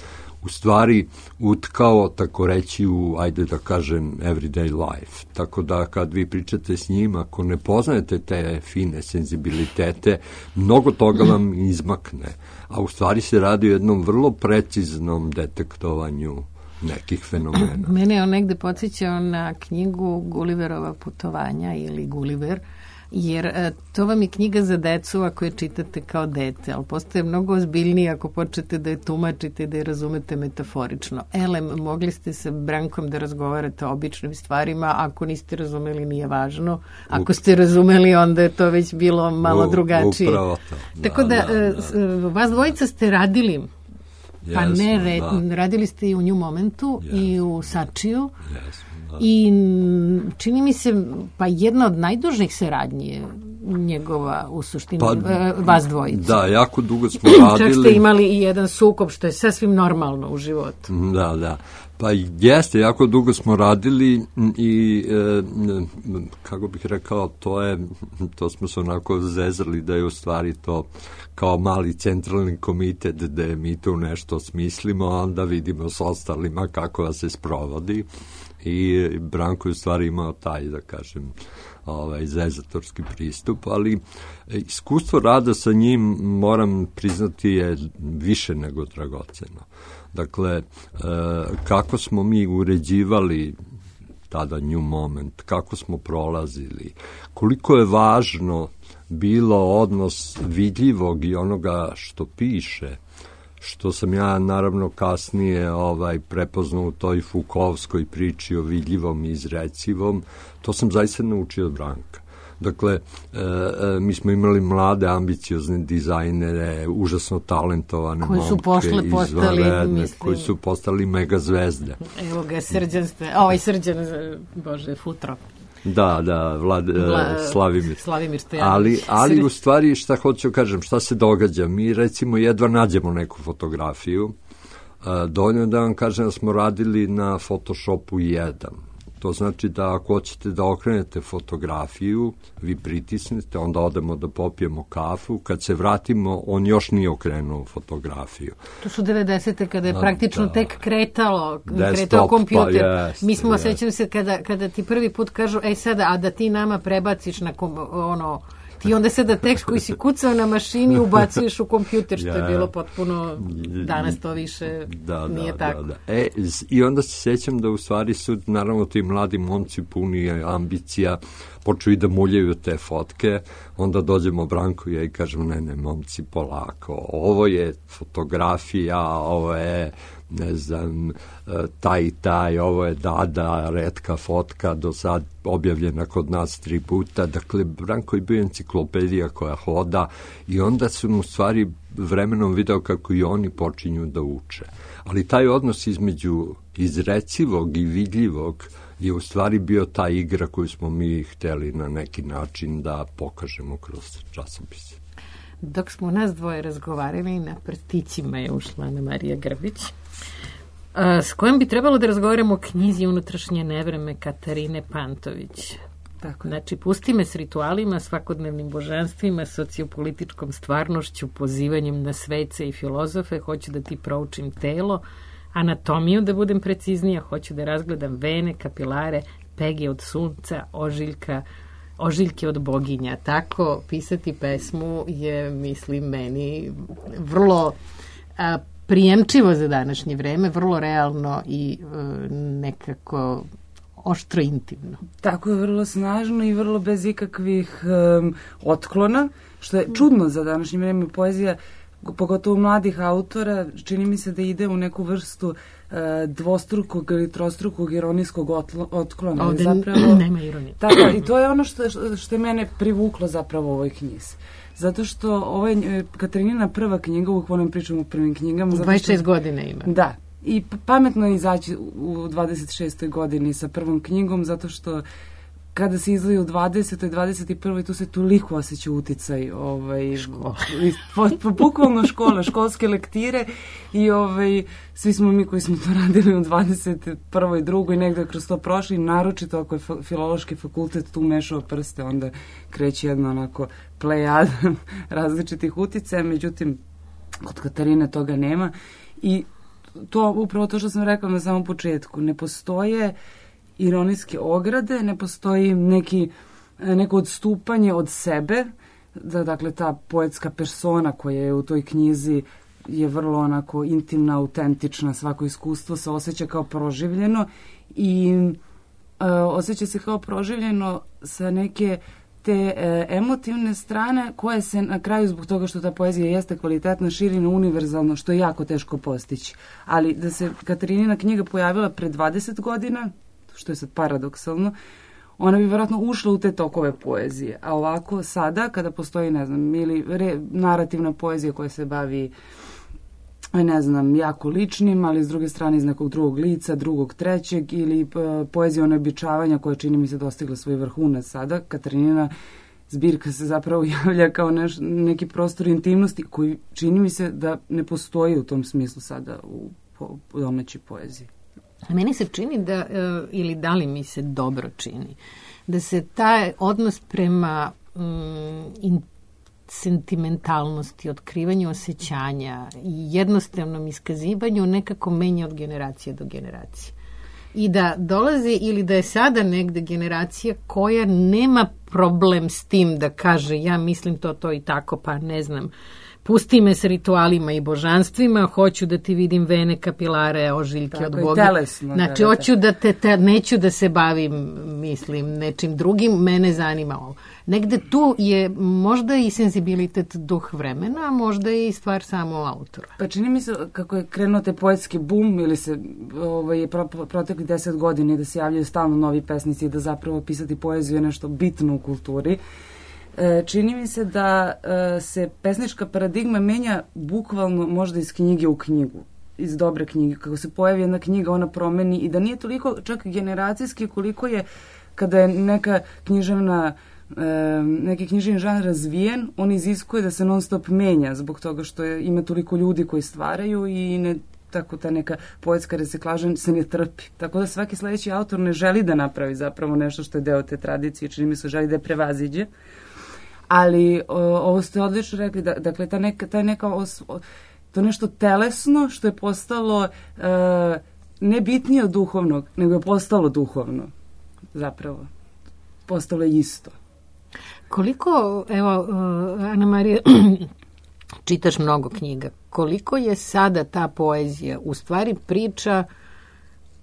u stvari utkao, tako reći, u, ajde da kažem, everyday life. Tako da kad vi pričate s njim, ako ne poznajete te fine senzibilitete, mnogo toga vam izmakne. A u stvari se radi o jednom vrlo preciznom detektovanju nekih fenomena. Mene je on negde podsjećao na knjigu Gulliverova putovanja ili Gulliver, jer to vam je knjiga za decu ako je čitate kao dete, ali postaje mnogo ozbiljnije ako počnete da je tumačite i da je razumete metaforično. Mogli ste sa Brankom da razgovarate o običnim stvarima, ako niste razumeli nije važno, ako ste razumeli onda je to već bilo malo drugačije. Upravo to. Tako da, vas dvojica ste radili, pa ne, radili ste i u New Momentu i u Sačiju. I čini mi se, pa jedna od najdužih saradnji je njegova u suštini, vas dvojica. Da, jako dugo smo radili. Čak ste imali i jedan sukob, što je sasvim normalno u životu. Da. Pa jeste, jako dugo smo radili i, kako bih rekao, to smo se onako zezrali da je u stvari to kao mali centralni komitet da mi tu nešto smislimo, a onda vidimo s ostalima kako da se sprovodi. I Branko je u stvari imao taj, da kažem, zezatorski pristup, ali iskustvo rada sa njim, moram priznati, je više nego dragoceno. Dakle, kako smo mi uređivali tada New Moment, kako smo prolazili, koliko je važno bilo odnos vidljivog i onoga što piše, što sam ja naravno kasnije prepoznao u toj Foucaultskoj priči o vidljivom i izrecivom, to sam zaista naučio od Branka. Dakle, mi smo imali mlade, ambiciozne dizajnere, užasno talentovane momke, izvanredne, koji su postali mega zvezde. Evo ga, Srđan, Futro. Da, Slavimir Stojanović. Ali u stvari šta hoću kažem, šta se događa? Mi recimo jedva nađemo neku fotografiju, dovoljno da vam kažem da smo radili na Photoshopu 1. To znači da ako hoćete da okrenete fotografiju, vi pritisnete, onda odemo da popijemo kafu, kad se vratimo, on još nije okrenuo fotografiju. To su 90. kada je praktično tek kretao kompjuter. Mi smo, sećam se, kada ti prvi put kažu, sada, a da ti nama prebaciš na ti onda sada tekst koji si kucao na mašini ubacuješ u kompjuter, što je bilo potpuno, danas to više nije tako. I onda se sećam da u stvari su, naravno, ti mladi momci puni ambicija, počeli da muljaju te fotke, onda dođemo Branko i ja i kažemo, ne, momci, polako, ovo je fotografija, ovo je, ne znam, taj, ovo je Dada, retka fotka, do sad objavljena kod nas 3 puta, dakle, Branko je bio enciklopedija koja hoda i onda sam u stvari vremenom video kako i oni počinju da uče. Ali taj odnos između izrecivog i vidljivog je u stvari bio ta igra koju smo mi hteli na neki način da pokažemo kroz časopise. Dok smo nas dvoje razgovarali, na prstićima je ušla Ana Marija Grbić, s kojom bi trebalo da razgovaramo o knjizi Unutrašnje nevreme Katarine Pantović. Tako. Znači, pusti me s ritualima, svakodnevnim božanstvima, sociopolitičkom stvarnošću, pozivanjem na svece i filozofe, hoću da ti proučim telo, anatomiju, da budem preciznija, hoću da razgledam vene, kapilare, pege od sunca, ožiljke od boginja. Tako pisati pesmu je, mislim, meni vrlo prijemčivo za današnje vreme, vrlo realno i nekako oštro intimno. Tako je, vrlo snažno i vrlo bez ikakvih otklona, što je čudno za današnje vreme. Poezija, pogotovo mladih autora, čini mi se da ide u neku vrstu dvostrukog ili trostrukog ironijskog otklona. Ovde zapravo nema ironije. Tako, i to je ono što je mene privuklo zapravo u ovoj knjizi. Zato što ovo je Katarinina prva knjiga, uvijek volim pričam o prvim knjigama. 26 godina ima. Da. I pametno je izaći u 26. godini sa prvom knjigom, zato što kada se izlazi u 20. 21. tu se toliko osjeća uticaj škola. Bukvalno škola, školske lektire i svi smo mi koji smo to radili u 21. i 2. i negde kroz to prošli, naročito ako je filološki fakultet tu mešao prste, onda kreće jedno onako plejad različitih uticaja, međutim kod Katarine toga nema i to upravo to što sam rekla na samom početku, ne postoje ironijske ograde, ne postoji neko odstupanje od sebe, dakle ta poetska persona koja je u toj knjizi je vrlo onako intimna, autentična, svako iskustvo se osjeća kao proživljeno i osjeća se kao proživljeno sa neke te emotivne strane koje se na kraju, zbog toga što ta poezija jeste kvalitetna, širi na univerzalno, što je jako teško postići. Ali da se Katarinina knjiga pojavila pre 20 godina, što je sad paradoksalno, ona bi vjerojatno ušla u te tokove poezije. A ovako sada, kada postoji, ne znam, ili narativna poezija koja se bavi, ne znam, jako ličnim, ali s druge strane iz nekog drugog lica, drugog, trećeg, ili poezija onebičavanja koja čini mi se dostigla svoj vrhunac sada. Katarinina zbirka se zapravo javlja kao neki prostor intimnosti koji čini mi se da ne postoji u tom smislu sada u domaćoj poeziji. Meni se čini da, ili da li mi se dobro čini, da se taj odnos prema sentimentalnosti, otkrivanju osjećanja i jednostavnom iskazivanju nekako menja od generacije do generacije. I da dolazi ili da je sada negde generacija koja nema problem s tim da kaže ja mislim to i tako, pa ne znam, pusti me s ritualima i božanstvima, hoću da ti vidim vene, kapilare, ožiljke tako, od Boga. Telesno, znači, hoću da neću da se bavim, mislim, nečim drugim, mene zanima ovo. Negde tu je možda i senzibilitet duh vremena, a možda i stvar samo autora. Pa čini mi se kako je krenuo te poetski bum ili se protekli 10 godina da se javljaju stalno novi pesnici i da zapravo pisati poeziju je nešto bitno u kulturi. Čini mi se da se pesnička paradigma menja bukvalno možda iz knjige u knjigu, iz dobre knjige. Kako se pojavi jedna knjiga, ona promeni i da nije toliko čak generacijski koliko je kada je neki književni žanr razvijen, on iziskuje da se non stop menja zbog toga što ima toliko ljudi koji stvaraju i tako ta neka poetska reciklaža se ne trpi. Tako da svaki sledeći autor ne želi da napravi zapravo nešto što je deo te tradicije, čini mi se želi da je prevaziđe. Ali ovo ste odlično rekli, dakle to nešto telesno što je postalo ne bitnije od duhovnog, nego je postalo duhovno zapravo. Postalo je isto. Koliko, evo, Ana Marija, čitaš mnogo knjiga, koliko je sada ta poezija u stvari priča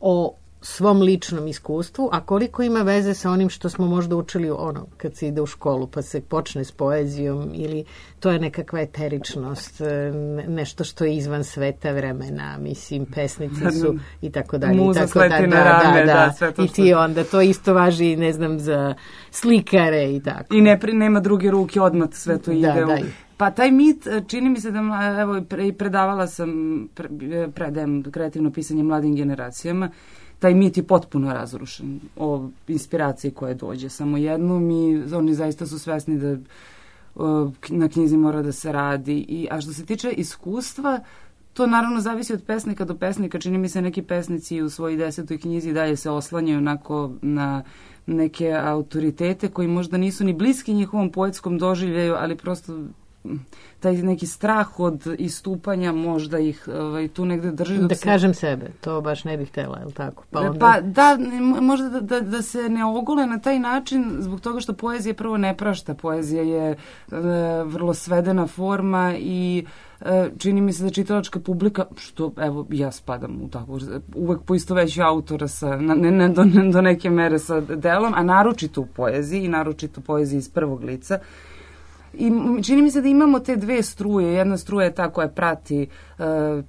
o svom ličnom iskustvu, a koliko ima veze sa onim što smo možda učili kad se ide u školu pa se počne s poezijom ili to je nekakva eteričnost, nešto što je izvan sveta vremena, mislim, pesnice su i tako dalje. Muza sleti na rame, sve to i ti onda, to isto važi, ne znam, za slikare i tako. I nema druge ruke, odmah sve to ide u... Pa taj mit, čini mi se da, evo, predavala sam, predajem kreativno pisanje mladim generacijama, taj mit je potpuno razrušen o inspiraciji koja dođe samo jednom i oni zaista su svesni da na knjizi mora da se radi. A što se tiče iskustva, to naravno zavisi od pesnika do pesnika. Čini mi se neki pesnici u svojoj 10. knjizi dalje se oslanjaju onako na neke autoritete koji možda nisu ni bliski njihovom poetskom doživljaju, ali prosto taj neki strah od istupanja možda ih tu negde drži. Da kažem sebe, to baš ne bih htjela, je li tako? Pa da, možda da se ne ogole na taj način zbog toga što poezija prvo ne prašta. Poezija je vrlo svedena forma i čini mi se da čitalačka publika, što evo ja spadam u tako, uvek poistoveću autora do neke mere sa delom, a naročito u poeziji i naročito poeziji iz prvog lica. I čini mi se da imamo te dve struje. Jedna struja je ta koja prati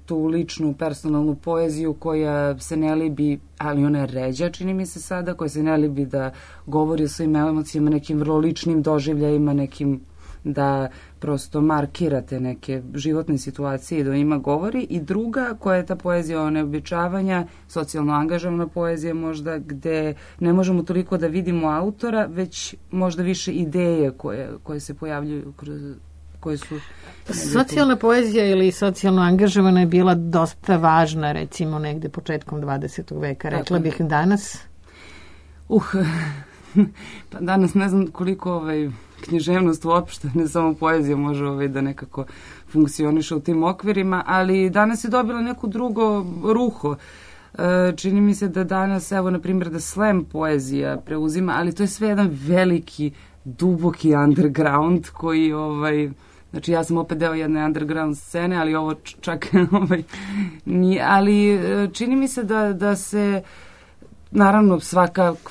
tu ličnu, personalnu poeziju koja se ne libi, ali ona je ređa, čini mi se sada, koja se ne libi da govori o svojim emocijama, nekim vrlo ličnim doživljajima, nekim da prosto markirate neke životne situacije i da o njima govori. I druga koja je ta poezija o neobičavanja, socijalno angažovana poezija možda, gde ne možemo toliko da vidimo autora, već možda više ideje koje se pojavljuju koje su... Socijalna poezija ili socijalno angažovana je bila dosta važna, recimo negde početkom 20. veka. Rekla bih danas? Pa danas ne znam koliko književnost uopšte, ne samo poezija može da nekako funkcioniše u tim okvirima, ali danas je dobila neku drugo ruho. Čini mi se da danas, evo, na primjer, da slam poezija preuzima, ali to je sve jedan veliki, duboki underground koji, znači ja sam opet deo jedne underground scene, ali ovo čak, nije, ali čini mi se da se naravno,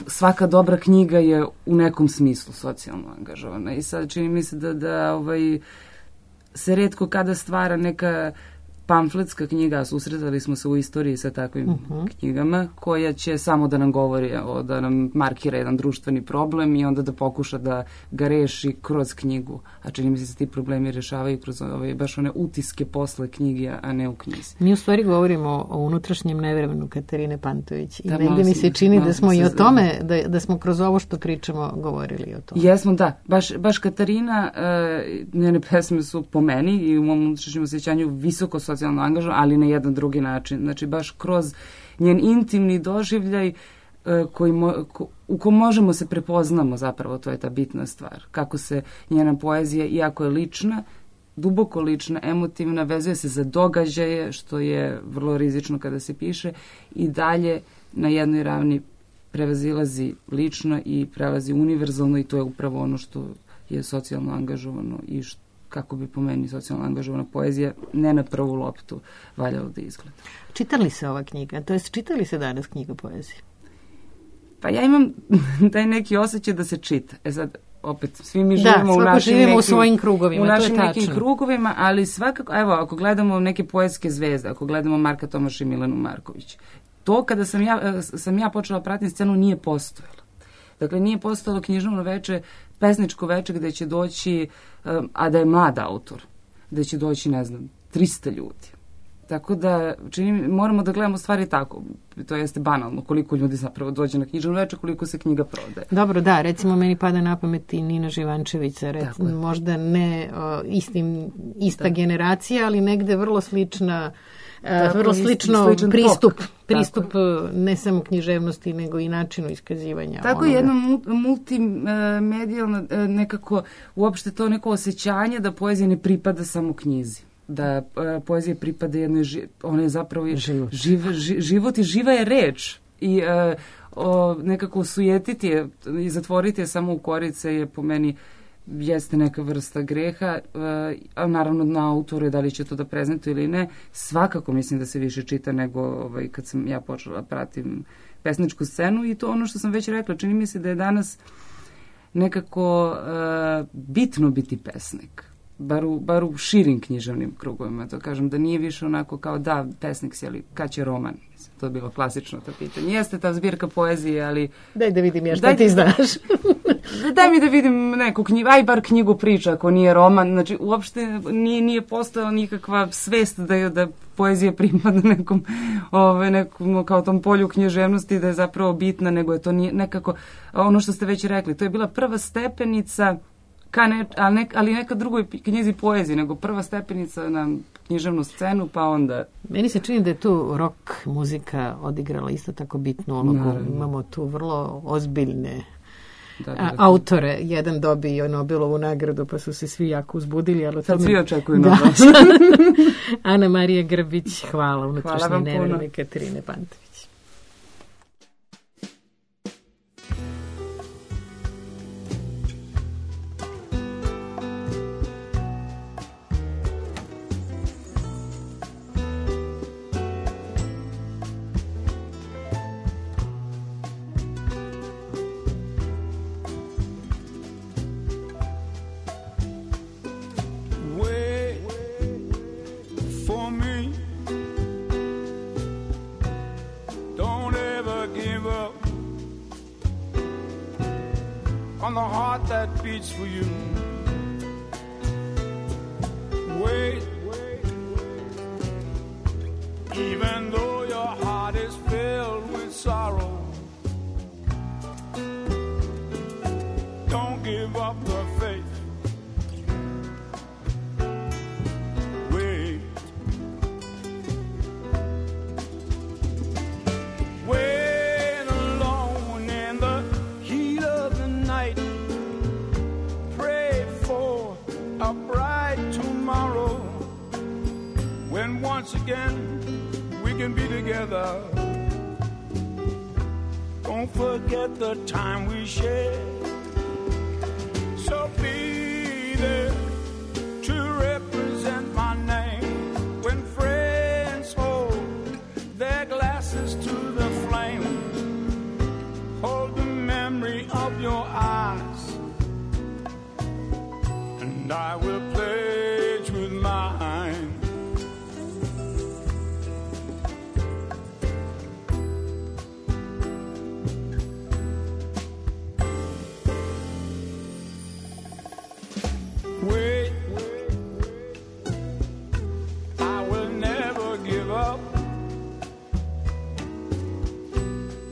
svaka dobra knjiga je u nekom smislu socijalno angažovana i sad čini mi se da se retko kada stvara neka pamfletska knjiga, a susretali smo se u istoriji sa takvim knjigama, koja će samo da nam govori, da nam markira jedan društveni problem i onda da pokuša da ga reši kroz knjigu. A čini mi se da se ti problemi rešavaju kroz baš one utiske posle knjige, a ne u knjizi. Mi u stvari govorimo o unutrašnjem nevremenu Katarine Pantović i negdje mi se čini da smo i o tome, da smo kroz ovo što pričamo govorili o tome. Jesmo, da. Baš Katarina, njene pesme su po meni i u mom unutrašnjem osjećanju visoko socijalno angažovan, ali na jedan drugi način. Znači, baš kroz njen intimni doživljaj u kom možemo se prepoznamo zapravo, to je ta bitna stvar. Kako se njena poezija, iako je lična, duboko lična, emotivna, vezuje se za događaje, što je vrlo rizično kada se piše, i dalje na jednoj ravni prevazilazi lično i prelazi univerzalno i to je upravo ono što je socijalno angažovano i kako bi po meni socijalno angažovana poezija ne na prvu loptu valjalo da izgleda. Čita li se ova knjiga? To jest, čita li se danas knjiga poezije? Pa ja imam taj neki osjećaj da se čita. Sad, opet, svi mi živimo u svojim krugovima. U našim nekim krugovima, ali svakako, evo, ako gledamo neke poetske zvezde, ako gledamo Marka Tomaša i Milenu Marković, to kada sam ja počela pratiti scenu nije postojalo. Dakle, nije postojalo književno veče, pesničko veče gde će doći, a da je mlad autor, gde će doći, ne znam, 300 ljudi. Tako da, moramo da gledamo stvari tako. To jeste banalno, koliko ljudi zapravo dođe na književno veče, koliko se knjiga prodaje. Dobro, da, recimo meni pada na pamet i Nina Živančevića, možda ne ista generacija, ali negde vrlo slična, vrlo sličan pristup ne samo književnosti, nego i načinu iskazivanja. Tako je jedna multimedijalna, nekako, uopšte to neko osjećanje da poezija ne pripada samo knjizi. Da poezija pripada jednoj, ona je zapravo život i živa je reč. I nekako sujetiti je i zatvoriti je samo u korice je po meni jeste neka vrsta greha, a naravno na autoru je da li će to da prezentuje ili ne. Svakako mislim da se više čita nego kad sam ja počela pratim pesničku scenu i to ono što sam već rekla. Čini mi se da je danas nekako bitno biti pesnik. Bar u širim književnim krugovima, to kažem, da nije više onako kao da, pesnik si, ali kad će roman? To je bilo klasično to pitanje. Jeste ta zbirka poezije, ali... Daj da vidim ja šta ti znaš. Daj mi da vidim neku knjigu, aj bar knjigu priča ako nije roman. Znači, uopšte nije postojala nikakva svest da poezija pripada nekom kao tom polju književnosti, da je zapravo bitna, nego je to nekako ono što ste već rekli. To je bila prva stepenica ali neka drugoj knjizi poezije, nego prva stepenica na književnu scenu, pa onda... Meni se čini da je tu rock muzika odigrala isto tako bitnu ulogu. Imamo tu vrlo ozbiljne autore. Jedan dobio Nobelovu nagradu, pa su se svi jako uzbudili. Ali sad svi očekuju Nobel. Ana Marija Grbić, hvala, unutrašnje neverne Katarine Pantović. On the heart that beats for you. Wait, even though your heart is filled with sorrow, don't give up the faith. Wait, wait alone in the heat of the night. Pray for a bright tomorrow when once again we can be together. Don't forget the time we shared. So be there to represent my name when friends hold their glasses to the flame. Hold the memory of your eyes, and I will pledge with mine. Wait, I will never give up.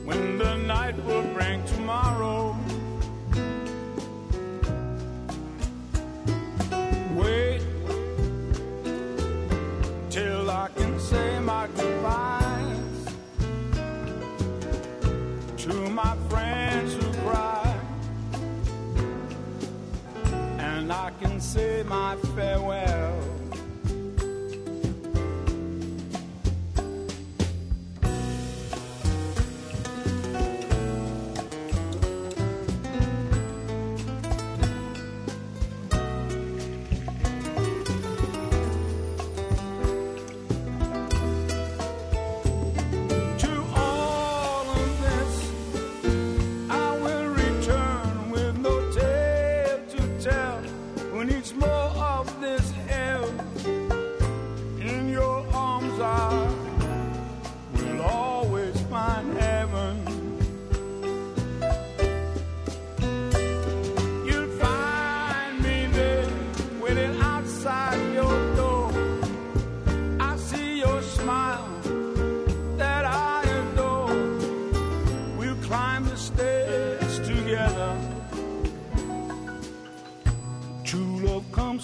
When the night will bring tomorrow, wait till I can say my goodbyes to my friends who cry, and I can say my farewell.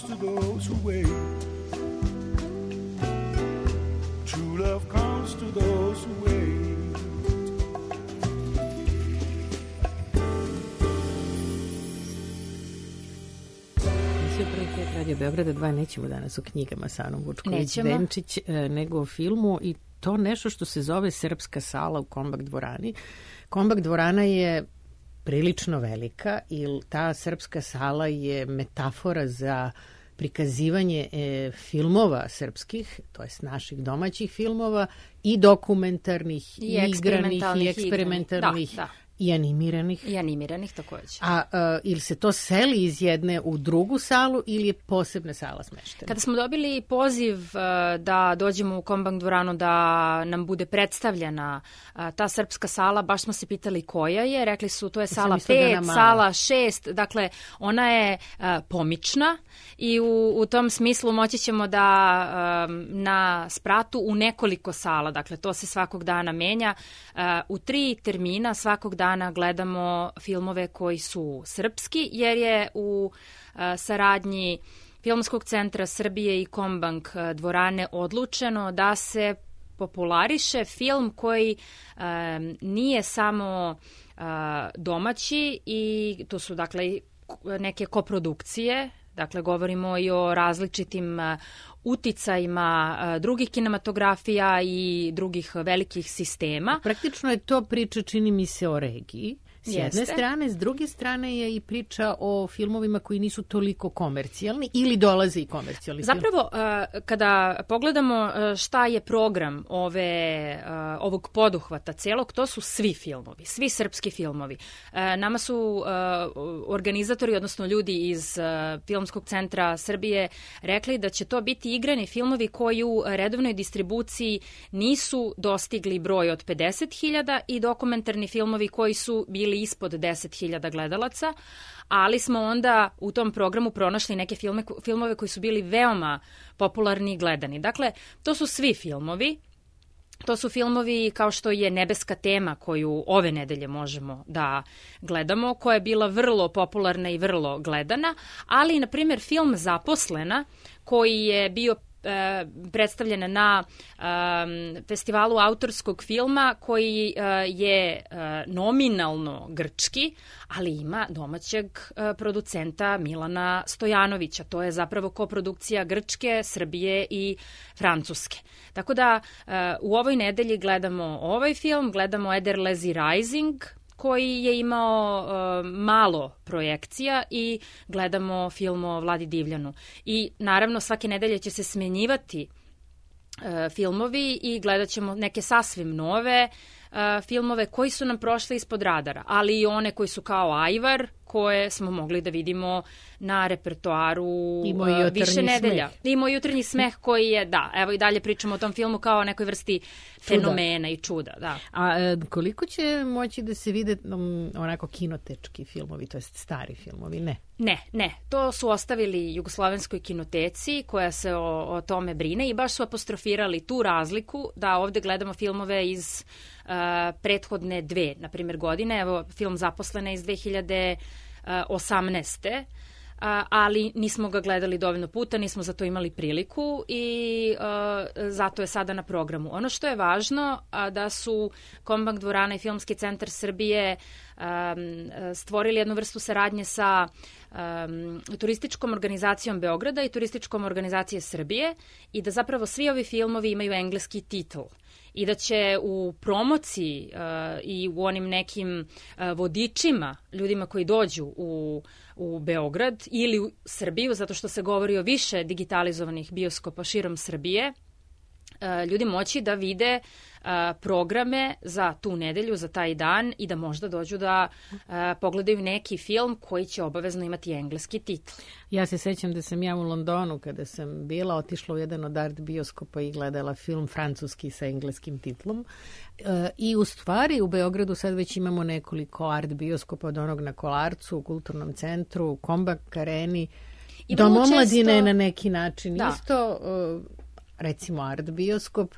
To those who wait, true love comes to those who wait. Radio Beograda 2 nećemo danas o knjigama sa Anom Vučković-Denčić, nego o filmu, i to nešto što se zove Srpska sala u Kombak dvorani. Kombak dvorana je prilično velika i ta Srpska sala je metafora za prikazivanje filmova srpskih, to jest naših domaćih filmova, i dokumentarnih, i igranih, i eksperimentalnih, i animiranih. I animiranih također. A ili se to seli iz jedne u drugu salu ili je posebna sala smeštena? Kada smo dobili poziv da dođemo u Kombak dvoranu da nam bude predstavljena ta srpska sala, baš smo se pitali koja je. Rekli su to je sala 5, sala 6, dakle ona je pomična i u tom smislu moći ćemo da na spratu u nekoliko sala, dakle to se svakog dana menja, u 3 termina svakog dana dana gledamo filmove koji su srpski, jer je u saradnji Filmskog centra Srbije i Kombank dvorane odlučeno da se populariše film koji nije samo domaći i to su dakle neke koprodukcije, dakle govorimo i o različitim uticajima drugih kinematografija i drugih velikih sistema. Praktično je to priča, čini mi se, o regiji. S jedne strane, s druge strane je i priča o filmovima koji nisu toliko komercijalni ili dolaze i komercijalni. Zapravo, kada pogledamo šta je program ovog poduhvata celog, to su svi filmovi, svi srpski filmovi. Nama su organizatori, odnosno ljudi iz Filmskog centra Srbije rekli da će to biti igrani filmovi koji u redovnoj distribuciji nisu dostigli broj od 50.000 i dokumentarni filmovi koji su bili ispod 10.000 gledalaca, ali smo onda u tom programu pronašli neke filmove koji su bili veoma popularni i gledani. Dakle, to su svi filmovi. To su filmovi kao što je Nebeska tema koju ove nedelje možemo da gledamo, koja je bila vrlo popularna i vrlo gledana, ali, na primjer, film Zaposlena koji je bio predstavljena na festivalu autorskog filma koji je nominalno grčki, ali ima domaćeg producenta Milana Stojanovića. To je zapravo koprodukcija Grčke, Srbije i Francuske. Tako da u ovoj nedelji gledamo ovaj film, gledamo Ederlezi Rising, koji je imao malo projekcija i gledamo film o Vladi Divljanu. I naravno svake nedelje će se smjenjivati filmovi i gledat ćemo neke sasvim nove filmove koji su nam prošli ispod radara, ali i one koji su kao Ajvar, koje smo mogli da vidimo na repertoaru više nedelja. I Moj jutarnji smeh koji je, da, evo i dalje pričamo o tom filmu kao o nekoj vrsti fenomena i čuda. Da. A koliko će moći da se vide onako kinotečki filmovi, to jest stari filmovi, ne? Ne. To su ostavili Jugoslovenskoj kinoteci koja se o tome brine i baš su apostrofirali tu razliku da ovde gledamo filmove iz prethodne dve, na primjer, godine. Evo, film Zaposlena iz 2018. Ali nismo ga gledali dovoljno puta, nismo za to imali priliku i zato je sada na programu. Ono što je važno da su Kombank dvorana i Filmski centar Srbije stvorili jednu vrstu saradnje sa turističkom organizacijom Beograda i turističkom organizacije Srbije i da zapravo svi ovi filmovi imaju engleski titl i da će u promociji i u onim nekim vodičima, ljudima koji dođu u Beograd ili u Srbiju, zato što se govori o više digitalizovanih bioskopa širom Srbije, ljudi moći da vide programe za tu nedelju, za taj dan i da možda dođu da pogledaju neki film koji će obavezno imati engleski titl. Ja se sećam da sam ja u Londonu kada sam bila otišla u jedan od art bioskopa i gledala film francuski sa engleskim titlom i u stvari u Beogradu sad već imamo nekoliko art bioskopa od onog na Kolarcu, u Kulturnom centru, u Kombank areni, Dom omladine na neki način isto, recimo art bioskop,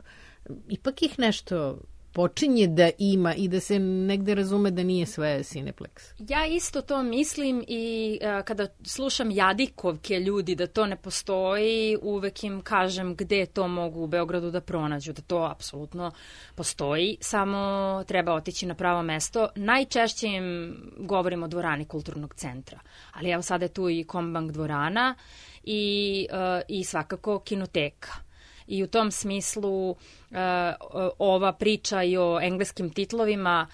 ipak ih nešto počinje da ima i da se negde razume da nije sve Cineplex. Ja isto to mislim i kada slušam jadikovke ljudi da to ne postoji, uvek im kažem gde to mogu u Beogradu da pronađu, da to apsolutno postoji, samo treba otići na pravo mesto. Najčešće im govorimo o dvorani Kulturnog centra, ali evo sada je tu i Kombank dvorana i svakako kinoteka. I u tom smislu ova priča i o engleskim titlovima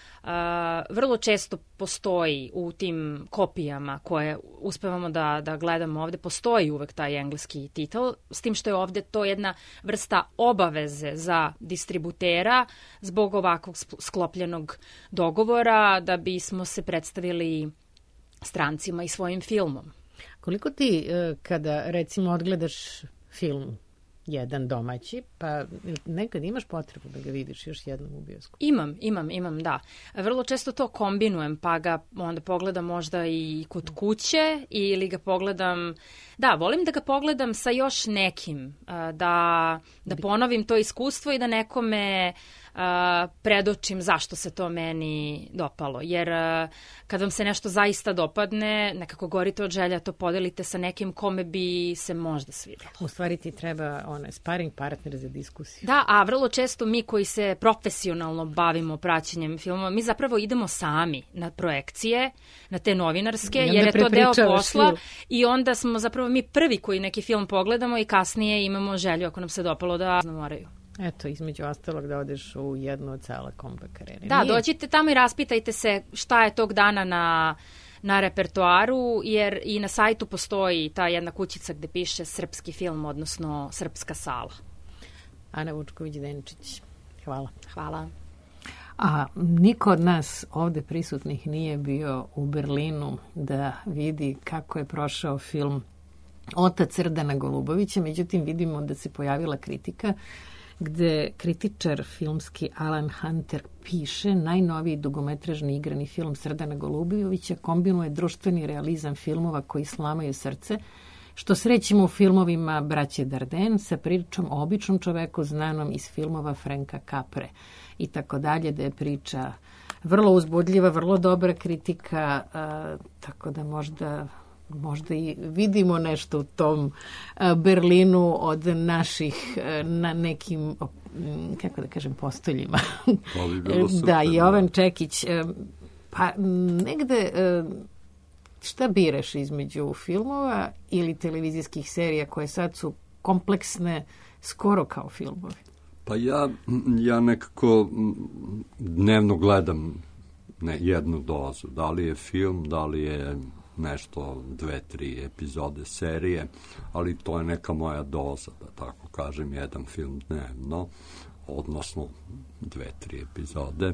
vrlo često postoji u tim kopijama koje uspevamo da gledamo ovde. Postoji uvek taj engleski titl, s tim što je ovde to jedna vrsta obaveze za distributera zbog ovakvog sklopljenog dogovora da bismo se predstavili strancima i svojim filmom. Koliko ti kada recimo odgledaš film jedan domaći, pa nekad imaš potrebu da ga vidiš još jednom u bioskopu? Imam, da. Vrlo često to kombinujem, pa ga onda pogledam možda i kod kuće ili ga pogledam, da, volim da ga pogledam sa još nekim, da ponovim to iskustvo i da nekome predočim zašto se to meni dopalo. Jer kad vam se nešto zaista dopadne, nekako gorite od želja, to podelite sa nekim kome bi se možda svidjelo. U stvari ti treba sparing partner za diskusiju. Da, a vrlo često mi koji se profesionalno bavimo praćenjem filmova, mi zapravo idemo sami na projekcije, na te novinarske, jer je to deo posla i onda smo zapravo mi prvi koji neki film pogledamo i kasnije imamo želju, ako nam se dopalo, da moraju. Eto, između ostalog da odeš u jednu od sala comeback karere. Da, dođite tamo i raspitajte se šta je tog dana na repertoaru, jer i na sajtu postoji ta jedna kućica gde piše srpski film, odnosno srpska sala. Ana Vučković-Denčić, hvala. Hvala. A niko od nas ovde prisutnih nije bio u Berlinu da vidi kako je prošao film Otac Srdana Golubovića, međutim vidimo da se pojavila kritika gde kritičar filmski Alan Hunter piše: najnoviji dugometražni igrani film Srdana Golubovića kombinuje društveni realizam filmova koji slamaju srce, što srećemo u filmovima braće Darden sa pričom o običnom čoveku znanom iz filmova Franka Capre i tako dalje, da je priča vrlo uzbudljiva, vrlo dobra kritika, tako da možda i vidimo nešto u tom Berlinu od naših na nekim, kako da kažem, postoljima. Da, Jovan Čekić, pa negde šta biraš između filmova ili televizijskih serija koje sad su kompleksne skoro kao filmovi? Pa ja nekako dnevno gledam jednu dozu. Da li je film, da li je nešto 2-3 epizode serije, ali to je neka moja doza, da tako kažem, jedan film dnevno, odnosno 2-3 epizode.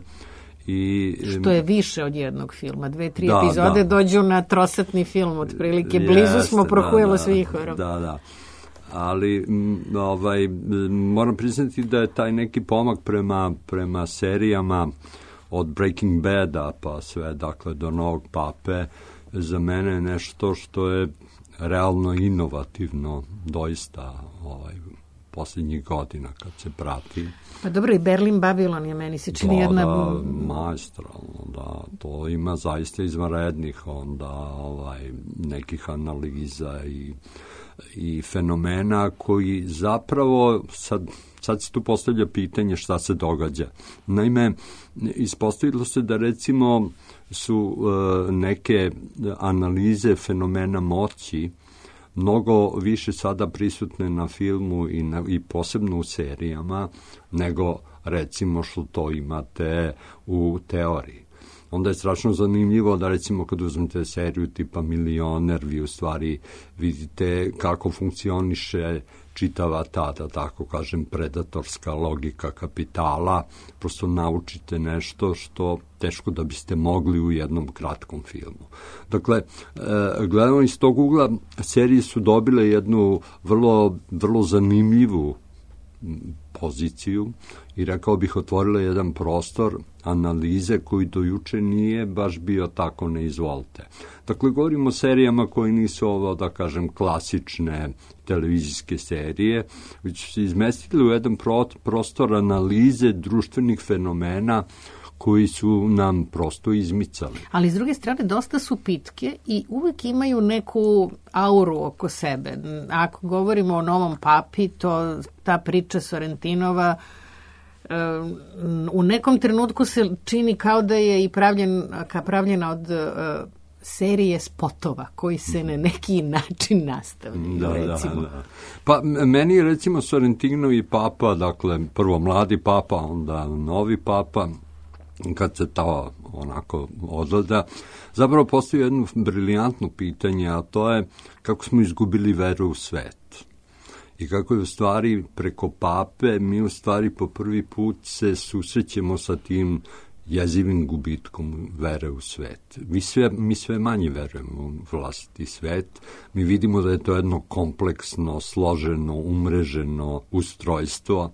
Što je više od jednog filma. 2-3 epizode dođu na trosatni film, otprilike. Blizu smo Prohujelo Svihorov. Da. Ali moram priznati da je taj neki pomak prema serijama od Breaking Bada pa sve, dakle, do Novog Pape, za mene je nešto što je realno inovativno doista posljednjih godina kad se prati. Pa dobro, i Berlin Babylon je meni se čini jedna... Da, maestralno, da. To ima zaista izvanrednih onda nekih analiza i fenomena koji zapravo sad se tu postavlja pitanje šta se događa. Naime, ispostavilo se da recimo su neke analize fenomena moći mnogo više sada prisutne na filmu i posebno u serijama nego recimo što to imate u teoriji. Onda je strašno zanimljivo da recimo kad uzmete seriju tipa Milioner, vi u stvari vidite kako funkcioniše čitava ta, da tako kažem, predatorska logika kapitala, prosto naučite nešto što teško da biste mogli u jednom kratkom filmu. Dakle, gledamo iz tog ugla, serije su dobile jednu vrlo, vrlo zanimljivu poziciju i rekao bih otvorila jedan prostor analize koji do juče nije baš bio tako neizvolte. Dakle, govorimo o serijama koji nisu ovo, da kažem, klasične televizijske serije, već su se izmestili u jedan prostor analize društvenih fenomena koji su nam prosto izmicali. Ali s druge strane dosta su pitke i uvek imaju neku auru oko sebe. Ako govorimo o Novom Papi, ta priča Sorrentinova u nekom trenutku se čini kao da je i pravljena od serije spotova koji se na neki način nastavljaju. Da. Pa meni je recimo Sorrentinovi Papa, dakle prvo mladi Papa, onda novi Papa, kad se to onako odgleda, zapravo postoji jedno briljantno pitanje, a to je kako smo izgubili veru u svet. I kako je u stvari preko Pape mi u stvari po prvi put se susrećemo sa tim jezivim gubitkom vere u svet. Mi sve manje verujemo u vlastiti svet. Mi vidimo da je to jedno kompleksno, složeno, umreženo ustrojstvo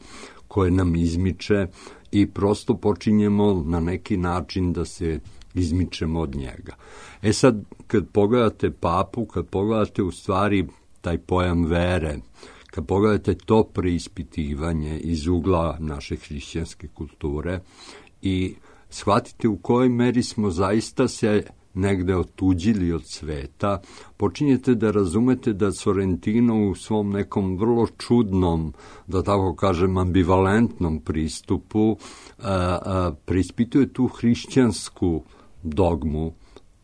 koje nam izmiče i prosto počinjemo na neki način da se izmičemo od njega. Sad, kad pogledate Papu, kad pogledate u stvari taj pojam vere kad pogledate to preispitivanje iz ugla naše hrišćanske kulture i shvatite u kojoj meri smo zaista se negde otuđili od sveta, počinjete da razumete da Sorrentino u svom nekom vrlo čudnom, da tako kažem, ambivalentnom pristupu preispituje tu hrišćansku dogmu,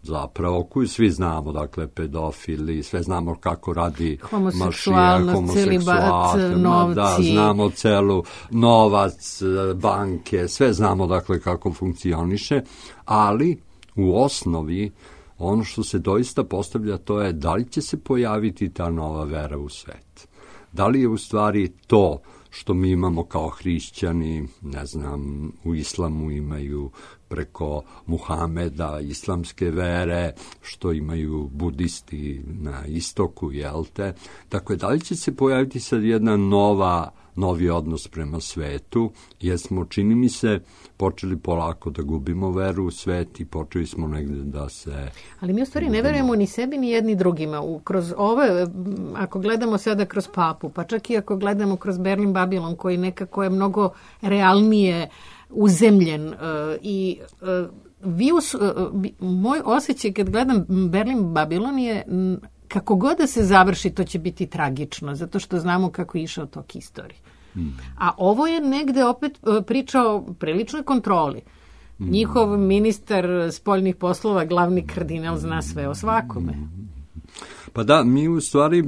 zapravo, koju svi znamo, dakle, pedofili, sve znamo kako radi Mašija, homoseksualnost, novci. Da, znamo celu novac, banke, sve znamo, dakle, kako funkcioniše, ali u osnovi ono što se doista postavlja to je da li će se pojaviti ta nova vera u svet. Da li je u stvari to što mi imamo kao hrišćani, ne znam, u islamu imaju preko Muhameda islamske vere, što imaju budisti na istoku, jel te? Dakle, da li će se pojaviti sad jedna novi odnos prema svetu, jer smo, čini mi se, počeli polako da gubimo veru u svet i počeli smo negde da se... Ali mi u stvari ne verujemo ni sebi ni jedni drugima. Kroz ove, ako gledamo sada kroz papu, pa čak i ako gledamo kroz Berlin Babilon, koji nekako je mnogo realnije uzemljen i moj osjećaj kad gledam Berlin Babilon je kako god da se završi, to će biti tragično, zato što znamo kako je išao tok istorije. A ovo je negde opet priča o priličnoj kontroli. Njihov ministar spoljnih poslova, glavni kardinal, zna sve o svakome. Pa da, mi u stvari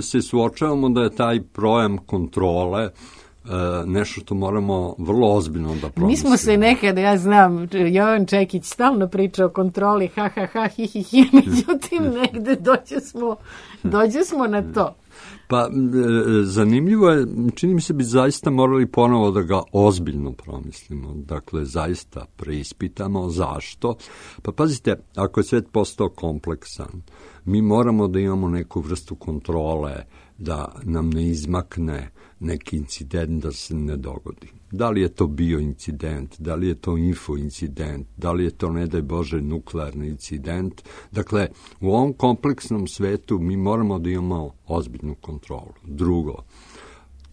se suočavamo da je taj projam kontrole nešto što moramo vrlo ozbiljno da promislimo. Mi smo se nekada, ja znam, Jovan Čekić stalno priča o kontroli, hi, međutim negde dođe smo na to. Pa, zanimljivo je, čini mi se bi zaista morali ponovo da ga ozbiljno promislimo, dakle, zaista preispitamo zašto. Pa pazite, ako je svet postao kompleksan, mi moramo da imamo neku vrstu kontrole, da nam ne izmakne neki incident da se ne dogodi. Da li je to bio incident, da li je to info incident, da li je to, ne daj Bože, nuklearni incident. Dakle, u ovom kompleksnom svetu mi moramo da imamo ozbiljnu kontrolu. Drugo,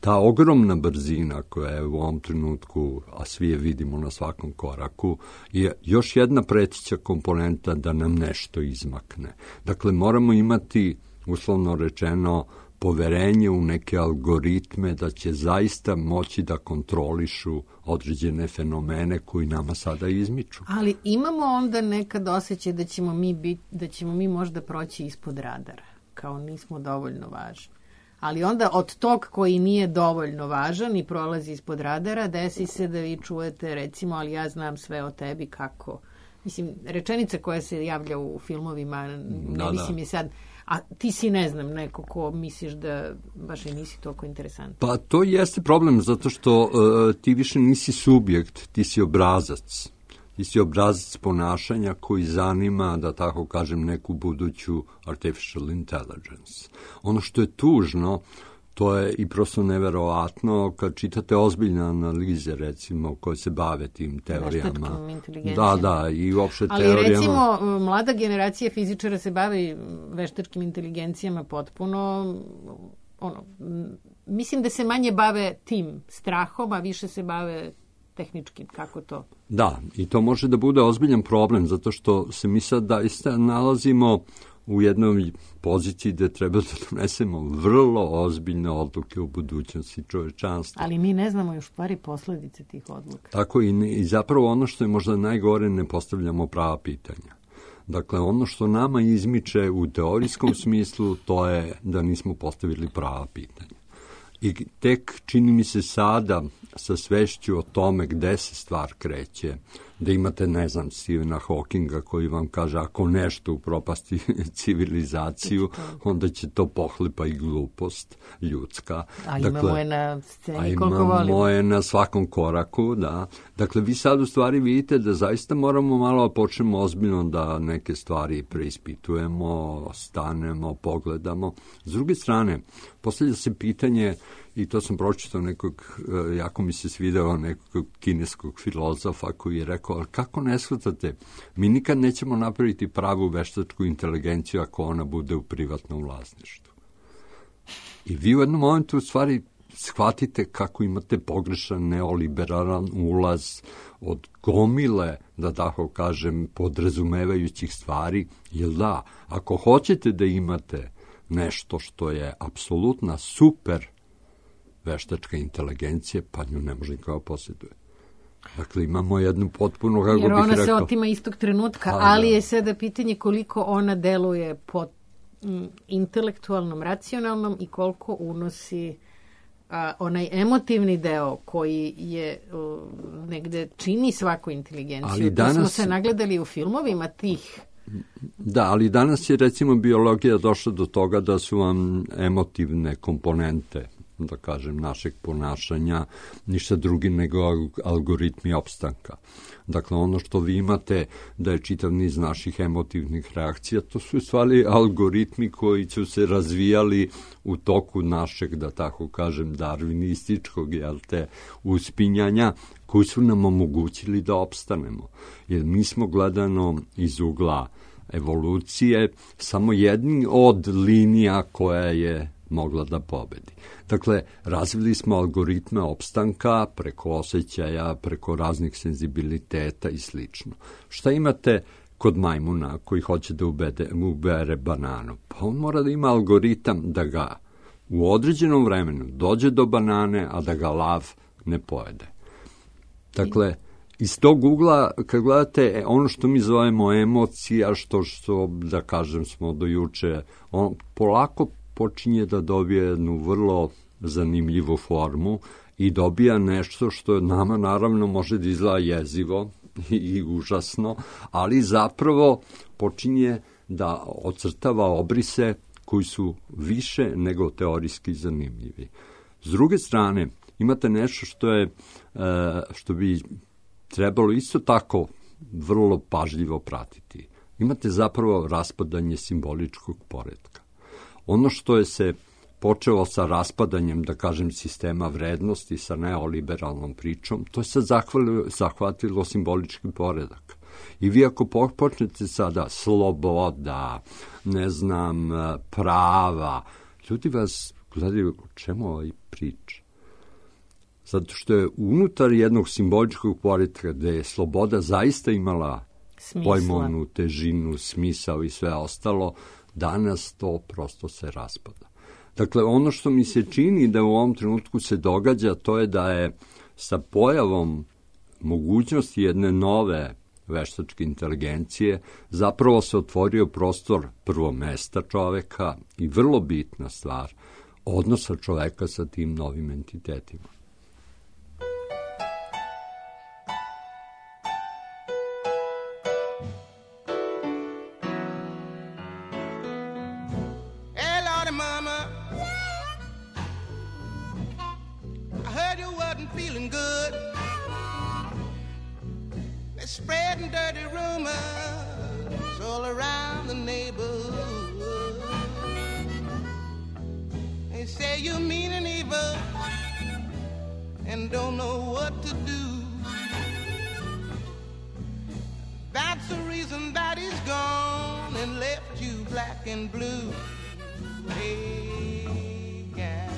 ta ogromna brzina koja je u ovom trenutku, a svi je vidimo na svakom koraku, je još jedna pretića komponenta da nam nešto izmakne. Dakle, moramo imati, uslovno rečeno, poverenje u neke algoritme da će zaista moći da kontrolišu određene fenomene koji nama sada izmiču. Ali imamo onda nekad osjećaj da ćemo mi možda proći ispod radara, kao nismo dovoljno važni. Ali onda od tog koji nije dovoljno važan i prolazi ispod radara, desi se da vi čujete, recimo, ali ja znam sve o tebi kako. Mislim, rečenica koja se javlja u filmovima, mislim je sad... A ti si, ne znam, neko ko misliš da baš i nisi toliko interesantan. Pa to jeste problem, zato što ti više nisi subjekt, ti si obrazac. Ti si obrazac ponašanja koji zanima, da tako kažem, neku buduću artificial intelligence. Ono što je tužno, to je i prosto neverovatno kad čitate ozbiljne analize, recimo, koje se bave tim teorijama. Veštačkim inteligencijama. Da, i uopšte ali teorijama. Ali recimo, mlada generacija fizičara se bavi veštačkim inteligencijama potpuno, mislim da se manje bave tim strahom, a više se bave tehničkim, kako to? Da, i to može da bude ozbiljan problem, zato što se mi sad daista nalazimo u jednoj poziciji gde treba da donesemo vrlo ozbiljne odluke u budućnosti čovečanstva. Ali mi ne znamo još stvari posledice tih odluka. Tako i zapravo ono što je možda najgore, ne postavljamo prava pitanja. Dakle, ono što nama izmiče u teorijskom smislu, to je da nismo postavili prava pitanja. I tek čini mi se sada sa svešću o tome gde se stvar kreće, da imate, ne znam, Stephena Hawkinga koji vam kaže ako nešto upropasti civilizaciju, onda će to pohlepa i glupost ljudska. A imamo je na sceni koliko volimo. Imamo je na svakom koraku, da. Dakle, vi sad u stvari vidite da zaista moramo malo počnemo ozbiljno da neke stvari preispitujemo, stanemo, pogledamo. S druge strane, postavlja se pitanje, i to sam pročitao nekog, jako mi se svideo nekog kineskog filozofa koji je rekao, ali kako ne shvatate, mi nikad nećemo napraviti pravu veštačku inteligenciju ako ona bude u privatnom vlasništvu. I vi u jednom momentu u stvari shvatite kako imate pogrešan neoliberalan ulaz od gomile, da tako kažem, podrazumevajućih stvari, jer da, ako hoćete da imate nešto što je apsolutna super veštačka inteligencija, pa nju ne može nikako posjeduje. Dakle, imamo jednu potpuno, kako bih rekao... Jer ona se otima istog trenutka, ali je sada pitanje koliko ona deluje po intelektualnom, racionalnom i koliko unosi onaj emotivni deo koji je negde čini svaku inteligenciju. Danas... To smo se nagledali u filmovima tih. Da, ali danas je recimo biologija došla do toga da su vam emotivne komponente, da kažem, našeg ponašanja ništa drugi nego algoritmi opstanka. Dakle, ono što vi imate da je čitav niz naših emotivnih reakcija, to su stvari algoritmi koji su se razvijali u toku našeg, da tako kažem, darvinističkog, uspinjanja, koji su nam omogućili da opstanemo. Jer mi smo gledano iz ugla evolucije samo jedni od linija koja je mogla da pobedi. Dakle, razvili smo algoritme opstanka preko osjećaja, preko raznih senzibiliteta i slično. Šta imate kod majmuna koji hoće da ubere bananu? Pa on mora da ima algoritam da ga u određenom vremenu dođe do banane, a da ga lav ne pojede. Dakle, iz tog ugla, kad gledate ono što mi zovemo emocija, što da kažem smo do juče, on polako počinje da dobije jednu vrlo zanimljivu formu i dobija nešto što nama naravno može da izgleda jezivo i užasno, ali zapravo počinje da ocrtava obrise koji su više nego teorijski zanimljivi. S druge strane, imate nešto što bi trebalo isto tako vrlo pažljivo pratiti. Imate zapravo raspadanje simboličkog poretka. Ono što je se počelo sa raspadanjem, da kažem, sistema vrednosti, sa neoliberalnom pričom, to je sad zahvatilo simbolički poredak. I vi ako počnete sada sloboda, prava, ljudi vas gledaju o čemu ovaj priča. Zato što je unutar jednog simboličkog poretka gde je sloboda zaista imala pojmovnu težinu, smisao i sve ostalo, danas to prosto se raspada. Dakle, ono što mi se čini da u ovom trenutku se događa, to je da je sa pojavom mogućnosti jedne nove veštačke inteligencije zapravo se otvorio prostor prvo mesta čoveka i vrlo bitna stvar, odnosa čoveka sa tim novim entitetima. Spreading dirty rumors all around the neighborhood. They say you mean and evil and don't know what to do. That's the reason that he's gone and left you black and blue. Hey, guy.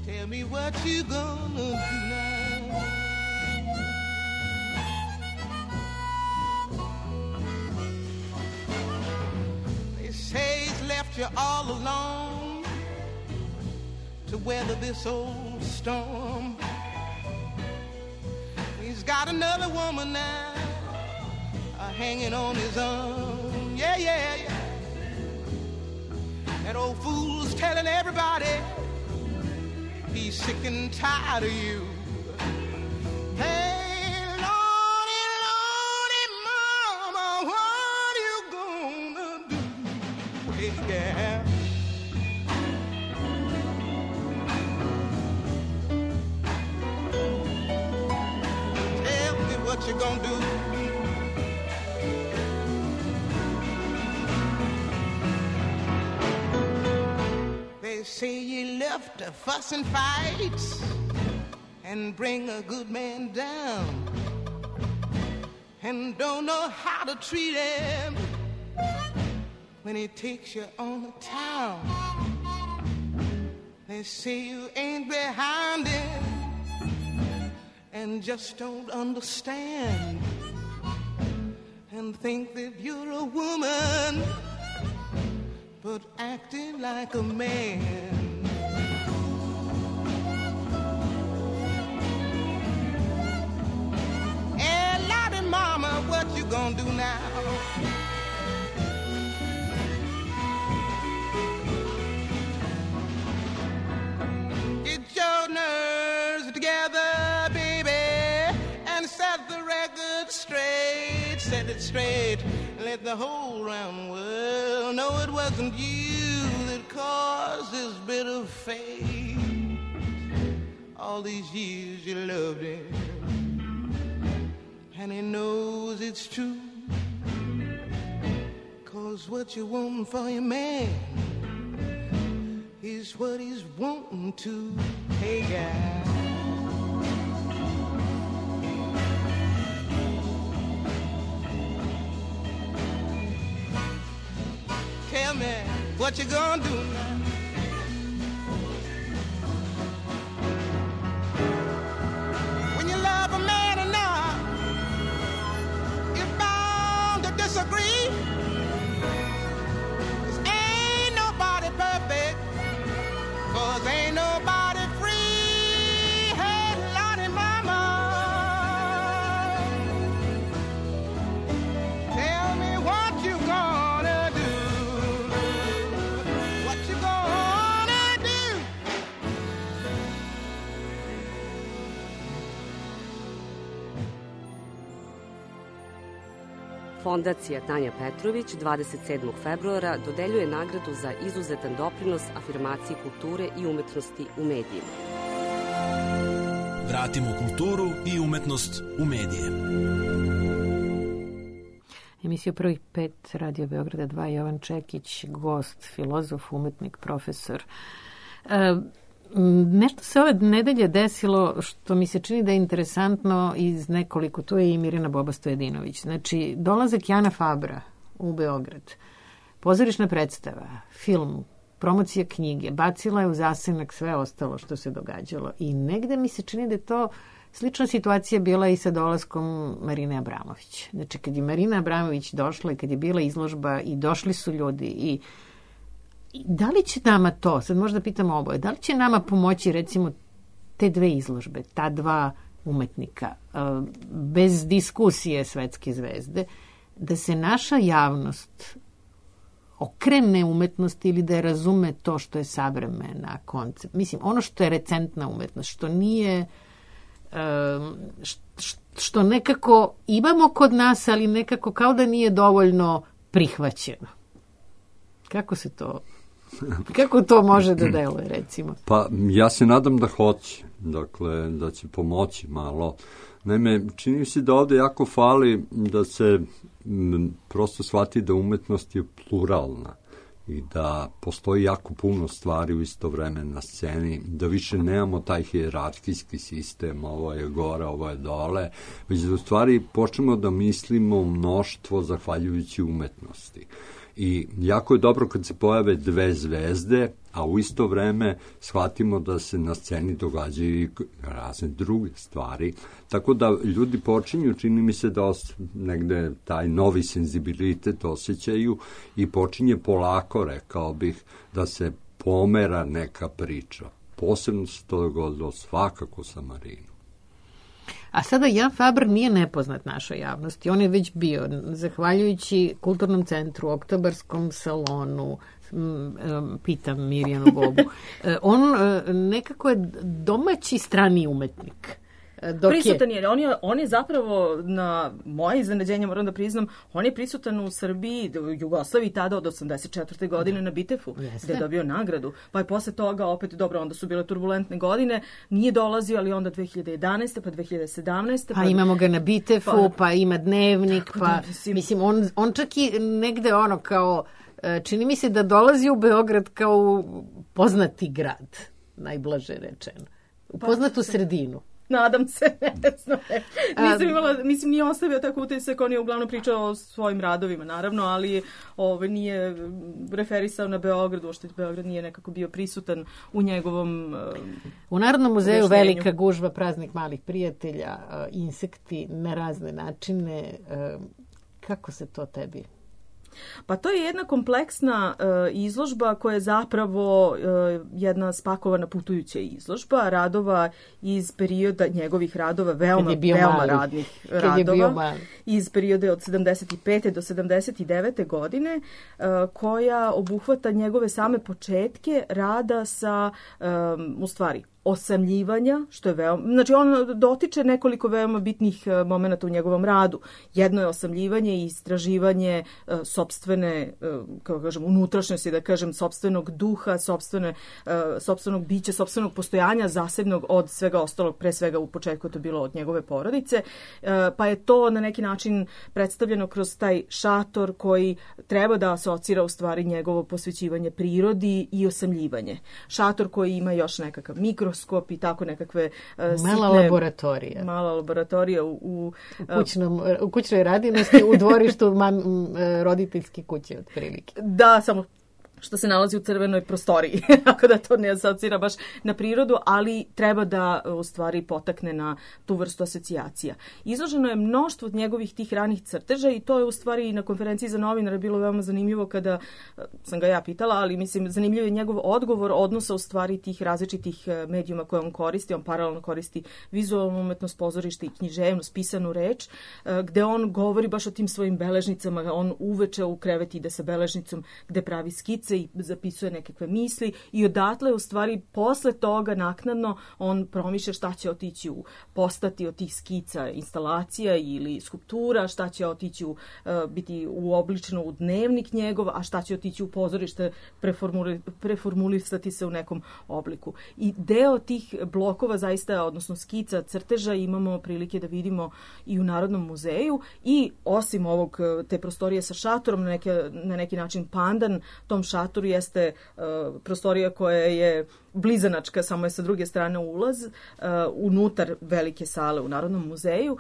Tell me what you gonna do now. They say he's left you all alone to weather this old storm. He's got another woman now hanging on his arm. Yeah, yeah, yeah. That old fool's telling everybody he's sick and tired of you. Hey, Lordy, Lordy, Mama, what you gonna do? Hey, yeah. Tell me what you gonna do. They say you left to fuss and fight and bring a good man down and don't know how to treat him when he takes you on the town. They say you ain't behind him and just don't understand and think that you're a woman but acting like a man. Hey, Lottie mama, what you gonna do now? Get your nerves together, baby, and set the record straight. Set it straight. Let the whole round world know it wasn't you that caused this bit of fate. All these years you loved him, and he knows it's true. 'Cause what you want for your man is what he's wanting to. Hey, guy. Tell me what you gonna do now. When you love a man enough, you're bound to disagree. 'Cause ain't nobody perfect. 'Cause ain't nobody free. Hey, Lottie mama, tell me what you gonna do. What you gonna do? Fondacija Tanja Petrović 27. februara dodeljuje nagradu za izuzetan doprinos afirmaciji kulture i umetnosti u medijima. Vratimo kulturu i umetnost u medije. Emisiju Prvih pet Radio Beograda 2, Jovan Čekić, gost, filozof, umetnik, profesor. Nešto se ove nedelje desilo što mi se čini da je interesantno iz nekoliko, to je i Mirjana Boba Stojedinović. Znači, dolazak Jana Fabra u Beograd, pozorišna predstava, film, promocija knjige, bacila je u zasenak sve ostalo što se događalo i negde mi se čini da je to slična situacija bila i sa dolaskom Marine Abramović. Znači, kad je Marina Abramović došla i kad je bila izložba i došli su ljudi i da li će nama to, sad možda pitamo oboje, da li će nama pomoći recimo te dve izložbe, ta dva umetnika, bez diskusije svetske zvezde, da se naša javnost okrene umetnosti ili da je razume to što je savremena koncept. Mislim, ono što je recentna umetnost, što nije, što nekako imamo kod nas, ali nekako kao da nije dovoljno prihvaćeno. Kako to može da deluje, recimo? Pa, ja se nadam da hoće, dakle, da će pomoći malo. Naime, čini se da ovde jako fali da se prosto shvati da umetnost je pluralna i da postoji jako puno stvari u isto vreme na sceni, da više nemamo taj hijerarhijski sistem, ovo je gore, ovo je dole, već da u stvari počnemo da mislimo mnoštvo zahvaljujući umetnosti. I jako je dobro kad se pojave dve zvezde, a u isto vreme shvatimo da se na sceni događaju i razne druge stvari. Tako da ljudi počinju, čini mi se da negde taj novi senzibilitet osjećaju i počinje polako, rekao bih, da se pomera neka priča. Posebno se to dogodilo svakako sa Marinom. A sada Jan Faber nije nepoznat našoj javnosti. On je već bio, zahvaljujući Kulturnom centru, Oktobarskom salonu, pitam Mirjanu Bobu, on nekako je domaći strani umetnik. Prisutan je. On je zapravo, na moje iznenađenje, moram da priznam, on je prisutan u Srbiji, u Jugoslaviji tada od 84. godine na Bitefu, gde je dobio nagradu. Pa je posle toga opet, dobro, onda su bile turbulentne godine, nije dolazio, ali onda 2011. pa 2017. Pa imamo ga na Bitefu, pa ima dnevnik, pa mislim, on čak i negde ono kao, čini mi se da dolazi u Beograd kao poznati grad, najblaže rečeno. U poznatu sredinu. Nadam se, ne znam. Nisam imala, mislim, nije ostavio tako utisak, on je uglavnom pričao o svojim radovima, naravno, ali nije referisao na Beograd, uopšte Beograd nije nekako bio prisutan u njegovom U Narodnom muzeju velika gužva, praznik malih prijatelja, insekti na razne načine. Kako se to tebi? Pa to je jedna kompleksna izložba koja je zapravo jedna spakovana putujuća izložba radova iz perioda njegovih radova, veoma radnih radova, iz perioda od 75. do 79. godine, koja obuhvata njegove same početke rada sa, u stvari, osamljivanja, što je veoma... Znači, on dotiče nekoliko veoma bitnih momenata u njegovom radu. Jedno je osamljivanje i istraživanje sopstvene, kako kažem, unutrašnjosti, da kažem, sopstvenog duha, sopstvenog bića, sopstvenog postojanja, zasebnog od svega ostalog, pre svega u početku to bilo od njegove porodice, pa je to na neki način predstavljeno kroz taj šator koji treba da asocira u stvari njegovo posvećivanje prirodi i osamljivanje. Šator koji ima još nekakav mikroskop i tako nekakve sitne... Mala laboratorija u kućnoj radinosti, u dvorištu roditeljske kuće, otprilike. Da, samo što se nalazi u crvenoj prostoriji, ako da to ne asocira baš na prirodu, ali treba da u stvari potakne na tu vrstu asocijacija. Izloženo je mnoštvo njegovih tih ranih crteža i to je u stvari na konferenciji za novinare bilo veoma zanimljivo kada sam ga ja pitala, ali mislim zanimljiv je njegov odgovor odnosa u stvari tih različitih medijuma koje on koristi. On paralelno koristi vizualnu umetnost, pozorište i književnost, pisanu reč, gde on govori baš o tim svojim beležnicama. On uveče u krevet ide sa beležnicom gde pravi skice i zapisuje nekakve misli i odatle u stvari posle toga naknadno on promišlja šta će otići postati od tih skica instalacija ili skulptura, šta će otići biti uobličeno u dnevnik njegov, a šta će otići u pozorište, preformulisati se u nekom obliku. I deo tih blokova zaista, odnosno skica, crteža imamo prilike da vidimo i u Narodnom muzeju i osim te prostorije sa šatorom, na neki način pandan tom šatoru jeste prostorija koja je blizanačka, samo je sa druge strane ulaz, unutar velike sale u Narodnom muzeju.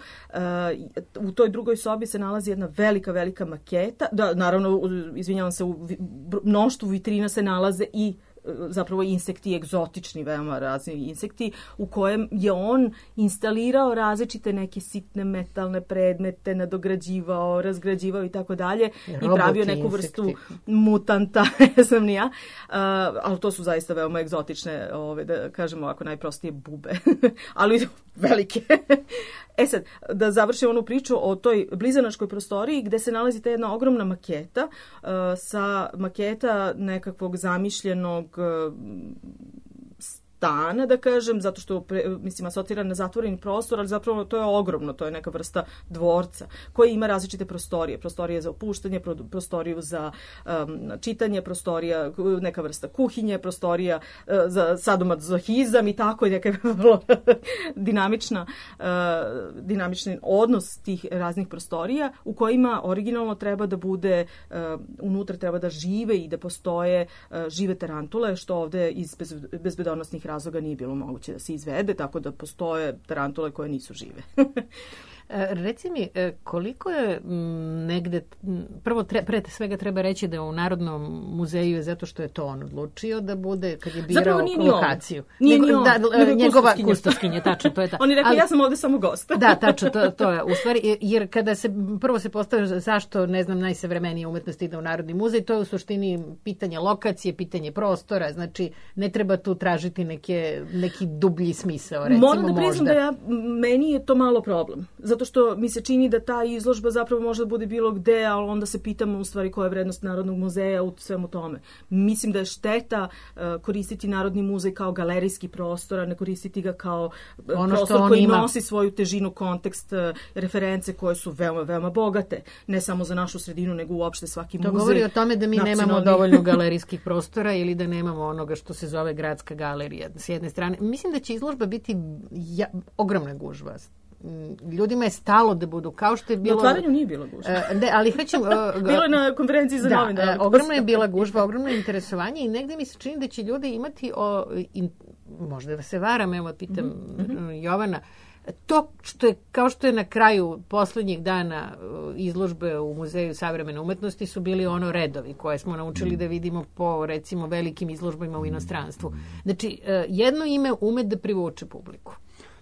U toj drugoj sobi se nalazi jedna velika maketa. Da, naravno, izvinjavam se, u mnoštvu vitrina se nalaze i zapravo insekti, egzotični, veoma razni insekti, u kojem je on instalirao različite neke sitne metalne predmete, nadograđivao, razgrađivao i tako dalje i pravio neku vrstu mutanta, ne znam ni ja, ali to su zaista veoma egzotične, da kažemo ovako najprostije bube, ali velike. Sad, da završim onu priču o toj blizanačkoj prostoriji gde se nalazi ta jedna ogromna maketa, sa maketa nekakvog zamišljenog stana, da kažem, zato što mislim asocira na zatvoreni prostor, ali zapravo to je ogromno, to je neka vrsta dvorca koji ima različite prostorije. Prostorije za opuštanje, prostoriju za čitanje, prostorija, neka vrsta kuhinje, prostorija za sadomazohizam i tako, neka vrlo dinamični odnos tih raznih prostorija u kojima originalno treba da bude, unutra treba da žive i da postoje žive tarantule, što ovde iz bezbedonosnih razloga nije bilo moguće da se izvede, tako da postoje tarantule koje nisu žive. Reci mi, koliko je negde, prvo pre svega treba reći da u Narodnom muzeju je zato što je to on odlučio da bude, kad je birao lokaciju. Njegova kustoskinja, tačno, to je tako. On je rekao, ja sam ovde samo gost. Da, tačno, to je u stvari, jer kada prvo se postavlja zašto, ne znam, najsavremenija umetnost ide u Narodni muzej, to je u suštini pitanje lokacije, pitanje prostora, znači ne treba tu tražiti neki dublji smisao, recimo možda. Moram da priznam da meni je to malo problem. Zato što mi se čini da ta izložba zapravo može da bude bilo gde, ali onda se pitamo u stvari koja je vrednost Narodnog muzeja u svemu tome. Mislim da je šteta koristiti Narodni muzej kao galerijski prostor, a ne koristiti ga kao prostor koji nosi svoju težinu, kontekst, reference koje su veoma, veoma bogate. Ne samo za našu sredinu, nego uopšte svaki muzej. To govori o tome da mi nemamo dovoljno galerijskih prostora ili da nemamo onoga što se zove gradska galerija s jedne strane. Mislim da će izložba biti ogromna gužva. Ljudima je stalo da budu, kao što je bilo... Na otvaranju nije bila gužva. Ne, ali bilo je na konferenciji za novinare. Ogromna je bila gužva, ogromno interesovanje i negde mi se čini da će ljudi imati možda da se varam, evo pitam Jovana, to što je, kao što je na kraju poslednjih dana izložbe u Muzeju savremene umetnosti su bili ono redovi koje smo naučili da vidimo po, recimo, velikim izložbama u inostranstvu. Znači, jedno ime ume da privuče publiku.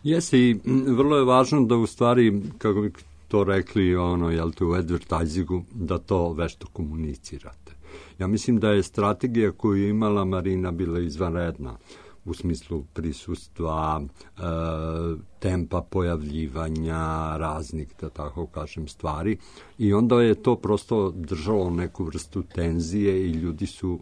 Jeste, i vrlo je važno da u stvari, kako bi to rekli u advertisingu, da to vešto komunicirate. Ja mislim da je strategija koju je imala Marina bila izvanredna u smislu prisustva, tempa pojavljivanja raznih, da tako kažem, stvari. I onda je to prosto držalo neku vrstu tenzije i ljudi su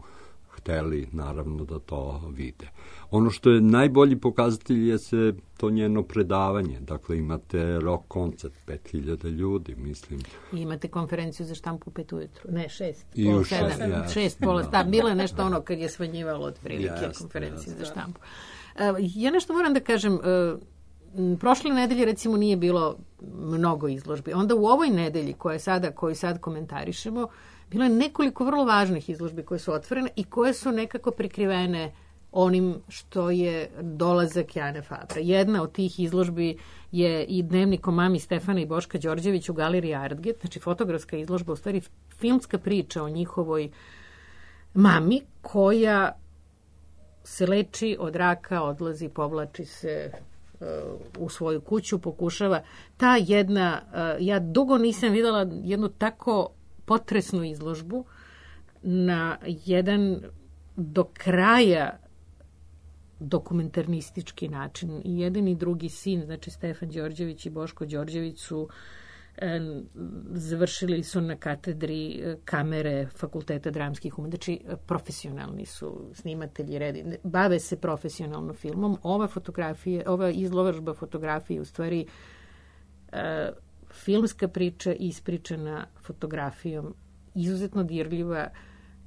hteli, naravno, da to vide. Ono što je najbolji pokazatelj je se to njeno predavanje. Dakle, imate rock koncert, 5000 ljudi, mislim. I imate konferenciju za štampu u 5 ujutru. Ne, 6, I pola u 7, 6, pola 7. Bilo je nešto ono kad je smanjivalo od prilike konferencije za štampu. Ja nešto moram da kažem, prošle nedelje recimo nije bilo mnogo izložbi. Onda u ovoj nedelji koju sad komentarišemo, bilo je nekoliko vrlo važnih izložbi koje su otvorene i koje su nekako prikrivene onim što je dolazak Jane Fabra. Jedna od tih izložbi je i dnevnik o mami Stefana i Boška Đorđević u galeriji Artget, znači fotografska izložba, u stvari filmska priča o njihovoj mami koja se leči od raka, odlazi, povlači se u svoju kuću, pokušava. Ta jedna, ja dugo nisam videla jednu tako potresnu izložbu na jedan do kraja dokumentarnistički način. I jedan i drugi sin, znači Stefan Đorđević i Boško Đorđević su završili su na katedri kamere Fakulteta dramskih umetnosti, znači profesionalni su snimatelji, bave se profesionalno filmom. Ova izložba fotografije u stvari filmska priča ispričana fotografijom, izuzetno dirljiva,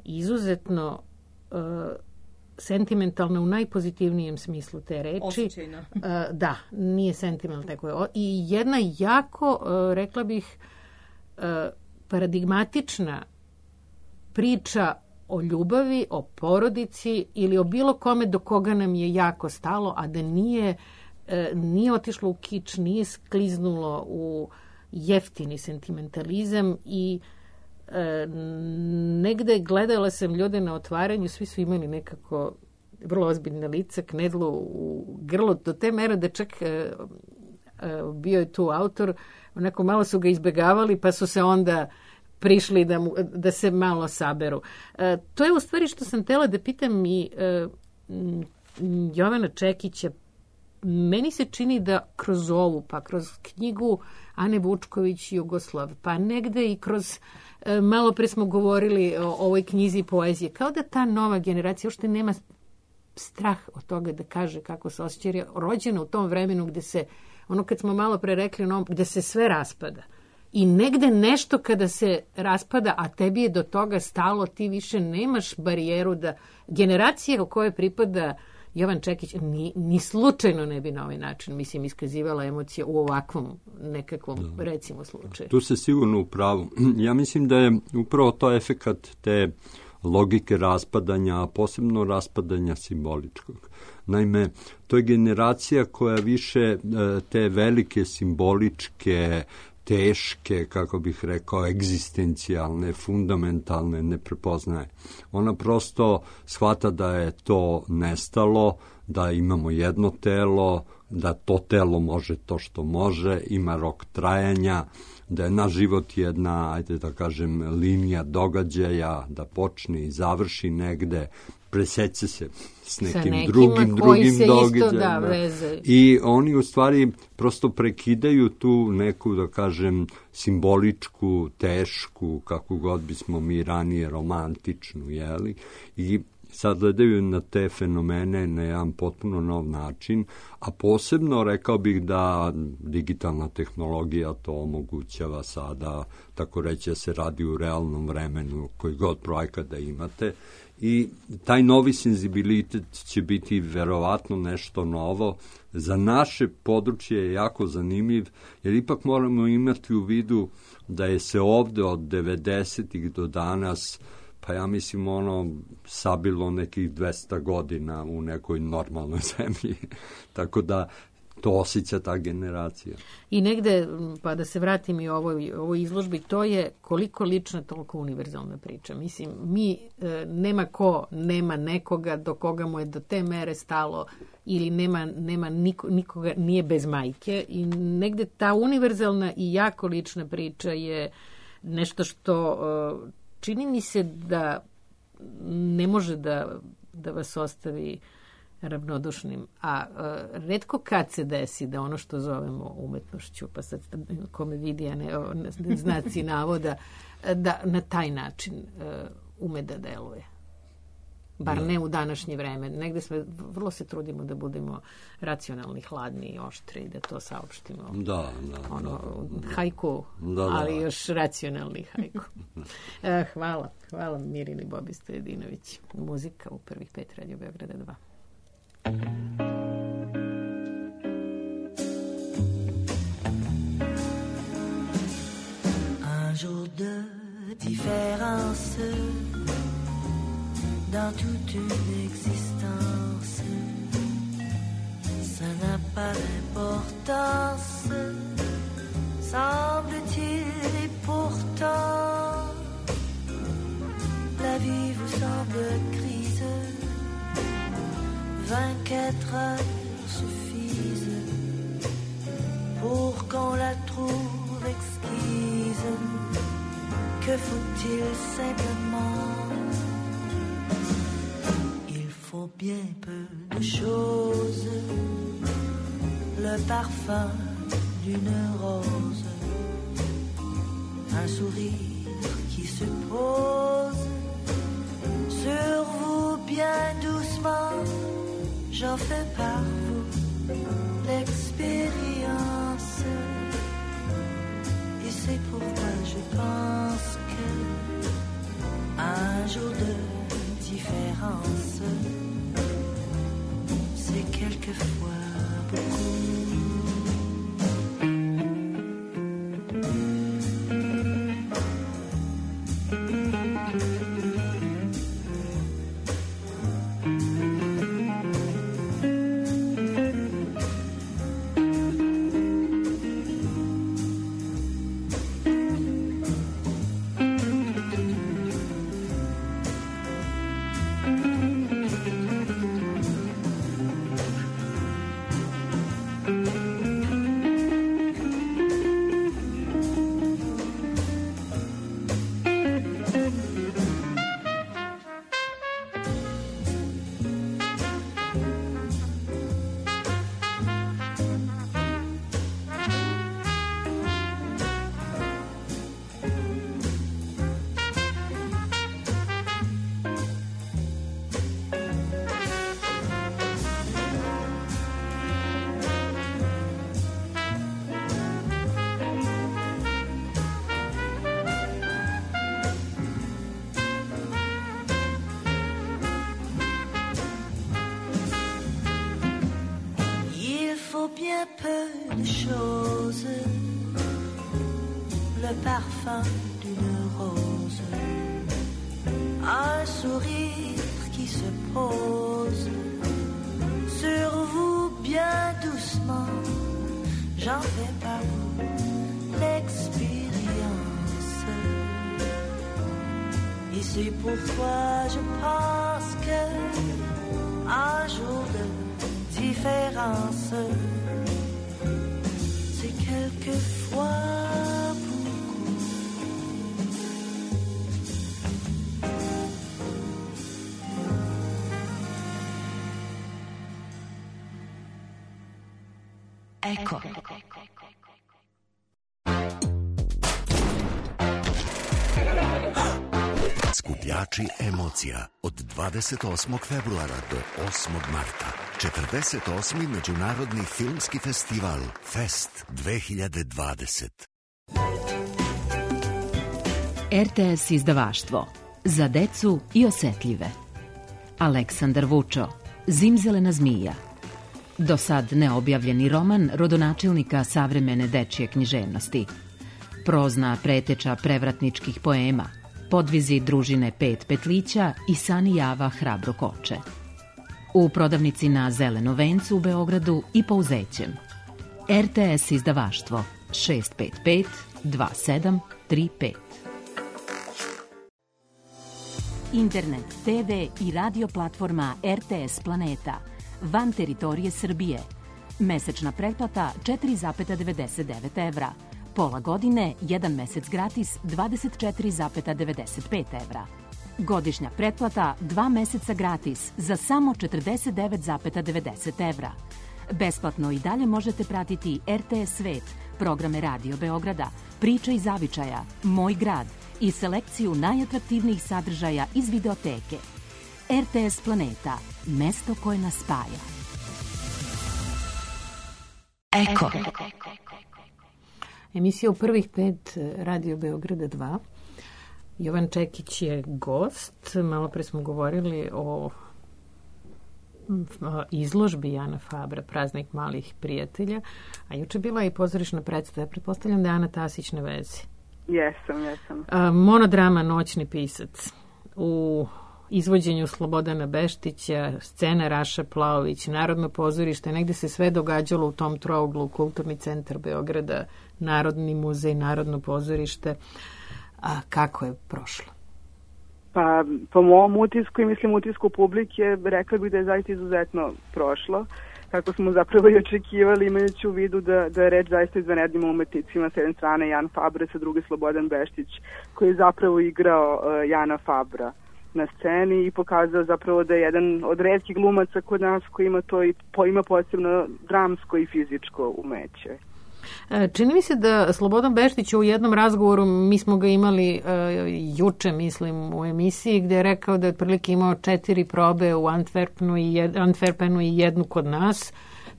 izuzetno sentimentalna u najpozitivnijem smislu te reči. Osjećajna. Da, nije sentimentalna tako je. I jedna jako, rekla bih, paradigmatična priča o ljubavi, o porodici ili o bilo kome do koga nam je jako stalo, a da nije otišlo u kič, nije skliznulo u jeftini sentimentalizam i negde gledala sam ljude na otvaranju, svi su imali nekako vrlo ozbiljne lica, knedlu u grlu, do te mere da čak bio je tu autor, onako malo su ga izbegavali, pa su se onda prišli da se malo saberu. To je u stvari što sam htela da pitam i Jovana Čekića. Meni se čini da kroz ovu, pa kroz knjigu Ane Vučković Jugoslav, pa negde i kroz, malo pre smo govorili o ovoj knjizi poezije, kao da ta nova generacija uopšte nema strah od toga da kaže kako se osjeća, jer je rođena u tom vremenu gde se, ono kad smo malo pre rekli, gde se sve raspada. I negde nešto kada se raspada, a tebi je do toga stalo, ti više nemaš barijeru da generacija o kojoj pripada Jovan Čekić ni slučajno ne bi na ovaj način, mislim, iskazivala emocije u ovakvom nekakvom, recimo, slučaju. Tu se sigurno u pravu. Ja mislim da je upravo to efekat te logike raspadanja, a posebno raspadanja simboličkog. Naime, to je generacija koja više te velike simboličke, teške, kako bih rekao, egzistencijalne, fundamentalne ne prepoznaje. Ona prosto shvata da je to nestalo, da imamo jedno telo, da to telo može to što može, ima rok trajanja, da je naš život jedna, ajde da kažem, linija događaja, da počne i završi negde, preseće se s nekim drugim događajima. I oni u stvari prosto prekidaju tu neku, da kažem, simboličku, tešku, kako god bismo mi ranije romantičnu, jeli? I sad gledaju na te fenomene na jedan potpuno nov način, a posebno rekao bih da digitalna tehnologija to omogućava sada, tako reći, da se radi u realnom vremenu, koji god projekat da imate. I taj novi senzibilitet će biti verovatno nešto novo. Za naše područje je jako zanimljiv, jer ipak moramo imati u vidu da je se ovde od 90-ih do danas pa ja mislim sabilo nekih 200 godina u nekoj normalnoj zemlji. Tako da to osjeća ta generacija. I negde, pa da se vratim i ovoj izložbi, to je koliko lična, toliko univerzalna priča. Mislim, nema nekoga do koga mu je do te mere stalo ili nema nikoga, nije bez majke i negde ta univerzalna i jako lična priča je nešto što čini mi se da ne može da vas ostavi ravnodušnim, a retko kad se desi da ono što zovemo umetnošću, pa sad ko me vidi, a ne znaci navoda, da na taj način ume da deluje. Bar ne u današnje vreme. Negde vrlo se trudimo da budemo racionalni, hladni i oštri i da to saopštimo. Da. Hajku, ali još racionalni hajku. Hvala Mirini Bobi Stojedinović. Muzika u prvih 5 Radio Beograda 2. Un jour de différence dans toute une existence, ça n'a pas d'importance, semble-t-il, et pourtant la vie vous semble grise. 24 heures suffisent pour qu'on la trouve exquise. Que faut-il simplement? Il faut bien peu de choses. Le parfum d'une rose, un sourire qui se pose sur vous bien doucement. J'en fais par vous l'expérience, et c'est pourquoi je pense que un jour de différence, c'est quelquefois beaucoup. Bien peu de choses, le parfum d'une rose, un sourire qui se pose sur vous bien doucement. J'en fais par vous l'expérience, et c'est pourquoi je pense que un jour de différence, c'est quelquefois beaucoup. Eko. Skupljači emocija od 28. februara do 8. marta. 48. Međunarodni filmski festival Fest 2020. RTS izdavaštvo. Za decu i osetljive. Aleksandar Vučo. Zimzelena zmija. Do sad neobjavljeni roman rodonačelnika savremene dečije književnosti. Prozna preteča prevratničkih poema, podvizi družine Pet Petlića i Sani Java Hrabro Koče. U prodavnici na Zeleno vencu u Beogradu i Pouzećem. RTS izdavaštvo 655 2735. Internet, TV i radio platforma RTS Planeta van teritorije Srbije. Mesečna pretplata 4,99 evra. Pola godine, 1 mesec gratis 24,95 evra. Godišnja pretplata 2 meseca gratis za samo 49,90 evra. Besplatno i dalje možete pratiti RTS Svet, programe Radio Beograda, Priče i zavičaja, Moj grad i selekciju najatraktivnijih sadržaja iz videoteke. RTS Planeta, mesto koje nas spaja. Eko. Emisija u prvih 5 Radio Beograda 2. Jovan Čekić je gost. Malo pre smo govorili o izložbi Jana Fabra, Praznik malih prijatelja, a juče bila i pozorišna predstava. Pretpostavljam da je Ana Tasić na vezi. Jesam. Monodrama Noćni pisac. U izvođenju Slobodana Beštića, scena Raša Plaović, Narodno pozorište, negde se sve događalo u tom trouglu, Kulturni centar Beograda, Narodni muzej, Narodno pozorište. A kako je prošlo? Pa, po mom utisku i mislim utisku publike, rekla bih da je zaista izuzetno prošlo. Kako smo zapravo i očekivali, imajući u vidu da je reč zaista izvanrednim umetnicima, s jedne strane Jan Fabra, sa druge Slobodan Beštić, koji je zapravo igrao Jana Fabra na sceni i pokazao zapravo da je jedan od retkih glumaca kod nas koji ima to i ima posebno dramsko i fizičko umeće. Čini mi se da Slobodan Beštić u jednom razgovoru, mi smo ga imali juče, mislim, u emisiji, gde je rekao da je otprilike imao 4 probe u Antwerpenu i jednu kod nas.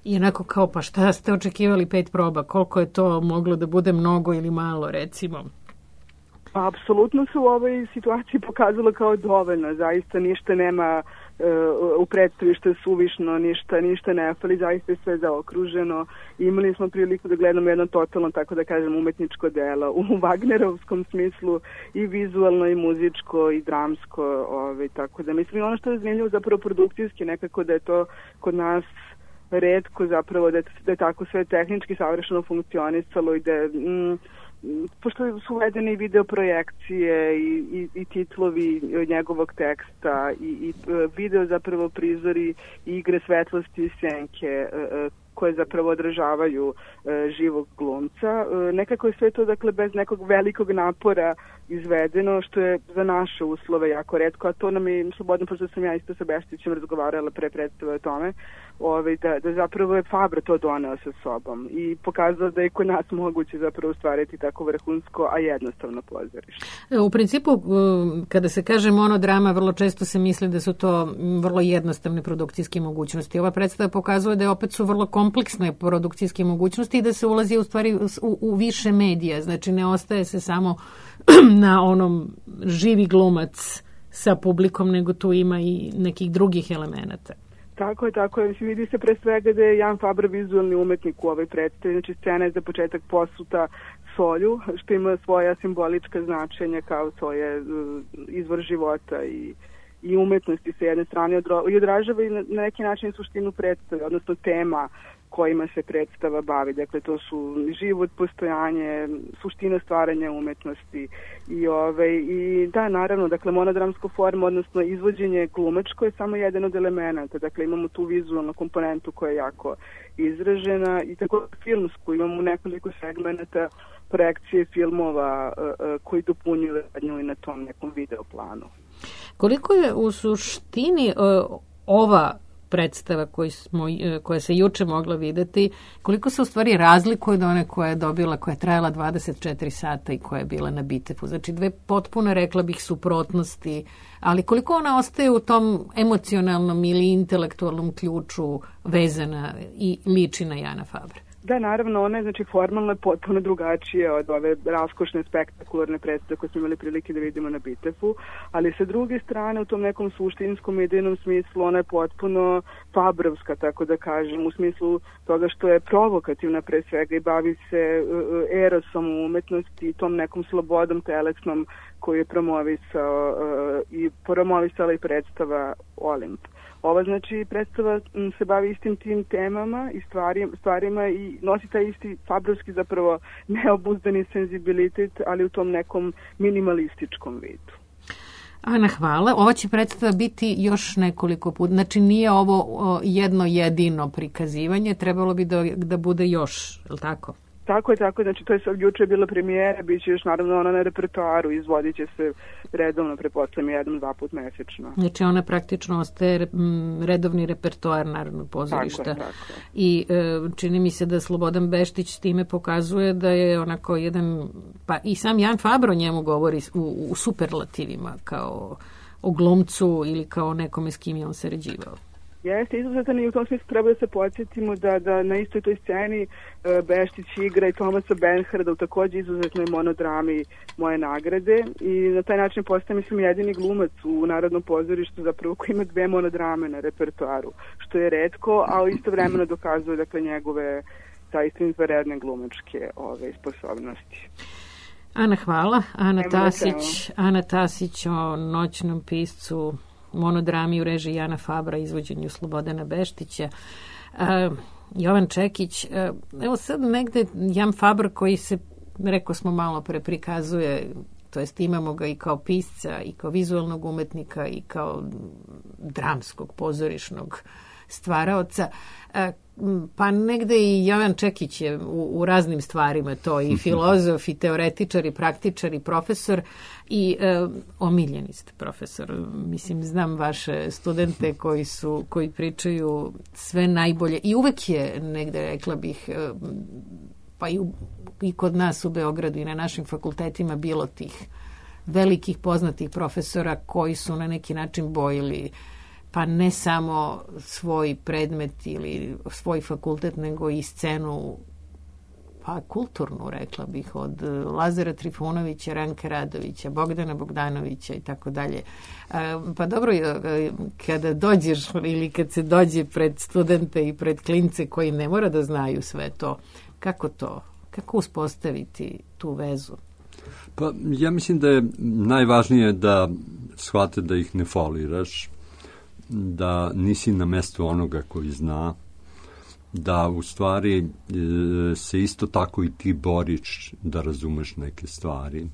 I onako kao, pa šta ste očekivali 5 proba? Koliko je to moglo da bude mnogo ili malo, recimo? Pa, apsolutno se u ovoj situaciji pokazalo kao dovoljno. Zaista ništa nema u predstavi što je suvišno, ništa ne fali, zaista je sve zaokruženo. Imali smo priliku da gledamo jedno totalno, tako da kažem, umetničko delo u Wagnerovskom smislu, i vizualno, i muzičko, i dramsko, tako da mislim, ono što je zanimljivo zapravo produkcijski, nekako da je to kod nas retko zapravo, da je tako sve tehnički savršeno funkcionisalo i da pošto su uvedene i video projekcije i titlovi njegovog teksta i video zapravo prizori i igre svetlosti i senke koje zapravo odražavaju živog glumca. Nekako je sve to, dakle, bez nekog velikog napora izvedeno, što je za naše uslove jako retko, a to nam je slobodno, pošto sam ja isto sa Beštićem razgovarala pre predstave o tome, da zapravo je Fabra to doneo sa sobom i pokazao da je kod nas moguće zapravo stvariti tako vrhunsko, a jednostavno pozorište. U principu, kada se kaže monodrama, vrlo često se misli da su to vrlo jednostavne produkcijske mogućnosti. Ova predstava pokazuje da opet su vrlo kompleksne produkcijske mogućnosti i da se ulazi u stvari u više medija. Znači, ne ostaje se samo na onom živi glumac sa publikom, nego tu ima i nekih drugih elemenata. Tako je. Mislim, vidi se pre svega da je Jan Fabra vizualni umetnik u ovoj predstavi. Znači, scena je za početak posuta solju, što ima svoja simbolička značenja kao svoje izvor života i umetnosti sa jedne strane i odražava i na neki način suštinu predstave, odnosno tema kojima se predstava bavi. Dakle, to su život, postojanje, suština stvaranja umetnosti i da, naravno, dakle, monodramsko forma, odnosno izvođenje glumačko je samo jedan od elemenata. Dakle, imamo tu vizualnu komponentu koja je jako izražena i tako filmsku. Imamo nekoliko segmenata projekcije filmova koji dopunjuju radnju i na tom nekom videoplanu. Koliko je u suštini ova predstava koja se juče mogla videti, koliko se u stvari razlikuje od one koja je dobila, koja je trajala 24 sata i koja je bila na Bitefu? Znači, dve potpuno, rekla bih, suprotnosti, ali koliko ona ostaje u tom emocionalnom ili intelektualnom ključu vezana i liči na Jana Fabra? Da, naravno, ona je znači, formalno potpuno drugačija od ove raskošne, spektakularne predstave koje smo imali prilike da vidimo na Bitefu, ali sa druge strane u tom nekom suštinskom idejnom smislu ona je potpuno fabrovska, tako da kažem, u smislu toga što je provokativna pre svega i bavi se erosom u umetnosti i tom nekom slobodom telesnom koju je promovisala i predstava Olimp. Ova znači predstava se bavi istim tim temama i stvarima i nosi taj isti fabrovski zapravo neobuzdani senzibilitet, ali u tom nekom minimalističkom vidu. Ana, hvala. Ova će predstava biti još nekoliko puta. Znači nije ovo jedno jedino prikazivanje, trebalo bi da bude još, je li tako? Tako je, znači to je juče je bila premijera, bit će još naravno ona na repertoaru, izvodit će se redovno, pretpostavljam 1-2 put mesečno. Znači ona praktično ostaje redovni repertoar Narodnog pozorišta. Tako je. I čini mi se da Slobodan Beštić s time pokazuje da je onako jedan, pa i sam Jan Fabro njemu govori u superlativima kao o glumcu ili kao nekome s kim je on sarađivao. Jeste, izuzetan i u tom smislu treba da se podsjetimo da na istoj toj sceni Beštić igra i Tomasa Bernharda u takođe izuzetnoj monodrami Moje nagrade i na taj način postaje, mislim, jedini glumac u Narodnom pozorištu zapravo koji ima 2 monodrame na repertoaru, što je retko, a istovremeno dokazuje dakle njegove zaista izvanredne glumačke sposobnosti. Ana, hvala. Ana Tasić o Noćnom piscu, monodrami u režiji Jana Fabra, izvođenju Slobodana Beštića. Jovan Čekić, evo sad negde Jan Fabr koji se, rekao smo malo pre, prikazuje, to jest imamo ga i kao pisca i kao vizualnog umetnika i kao dramskog pozorišnog stvaraoca, pa negde i Jovan Čekić je u raznim stvarima to, i filozof, i teoretičar, i praktičar, i profesor, i omiljeni ste profesor. Mislim, znam vaše studente koji pričaju sve najbolje i uvek je negde, rekla bih, pa i kod nas u Beogradu i na našim fakultetima bilo tih velikih poznatih profesora koji su na neki način bojili pa ne samo svoj predmet ili svoj fakultet, nego i scenu, pa kulturnu, rekla bih, od Lazara Trifunovića, Ranka Radovića, Bogdana Bogdanovića i tako dalje. Pa dobro, kada dođeš ili kad se dođe pred studente i pred klince koji ne mora da znaju sve to, kako uspostaviti tu vezu? Pa ja mislim da je najvažnije da shvate da ih ne foliraš, da nisi na mestu onoga koji zna, da u stvari se isto tako i ti boriš da razumeš neke stvari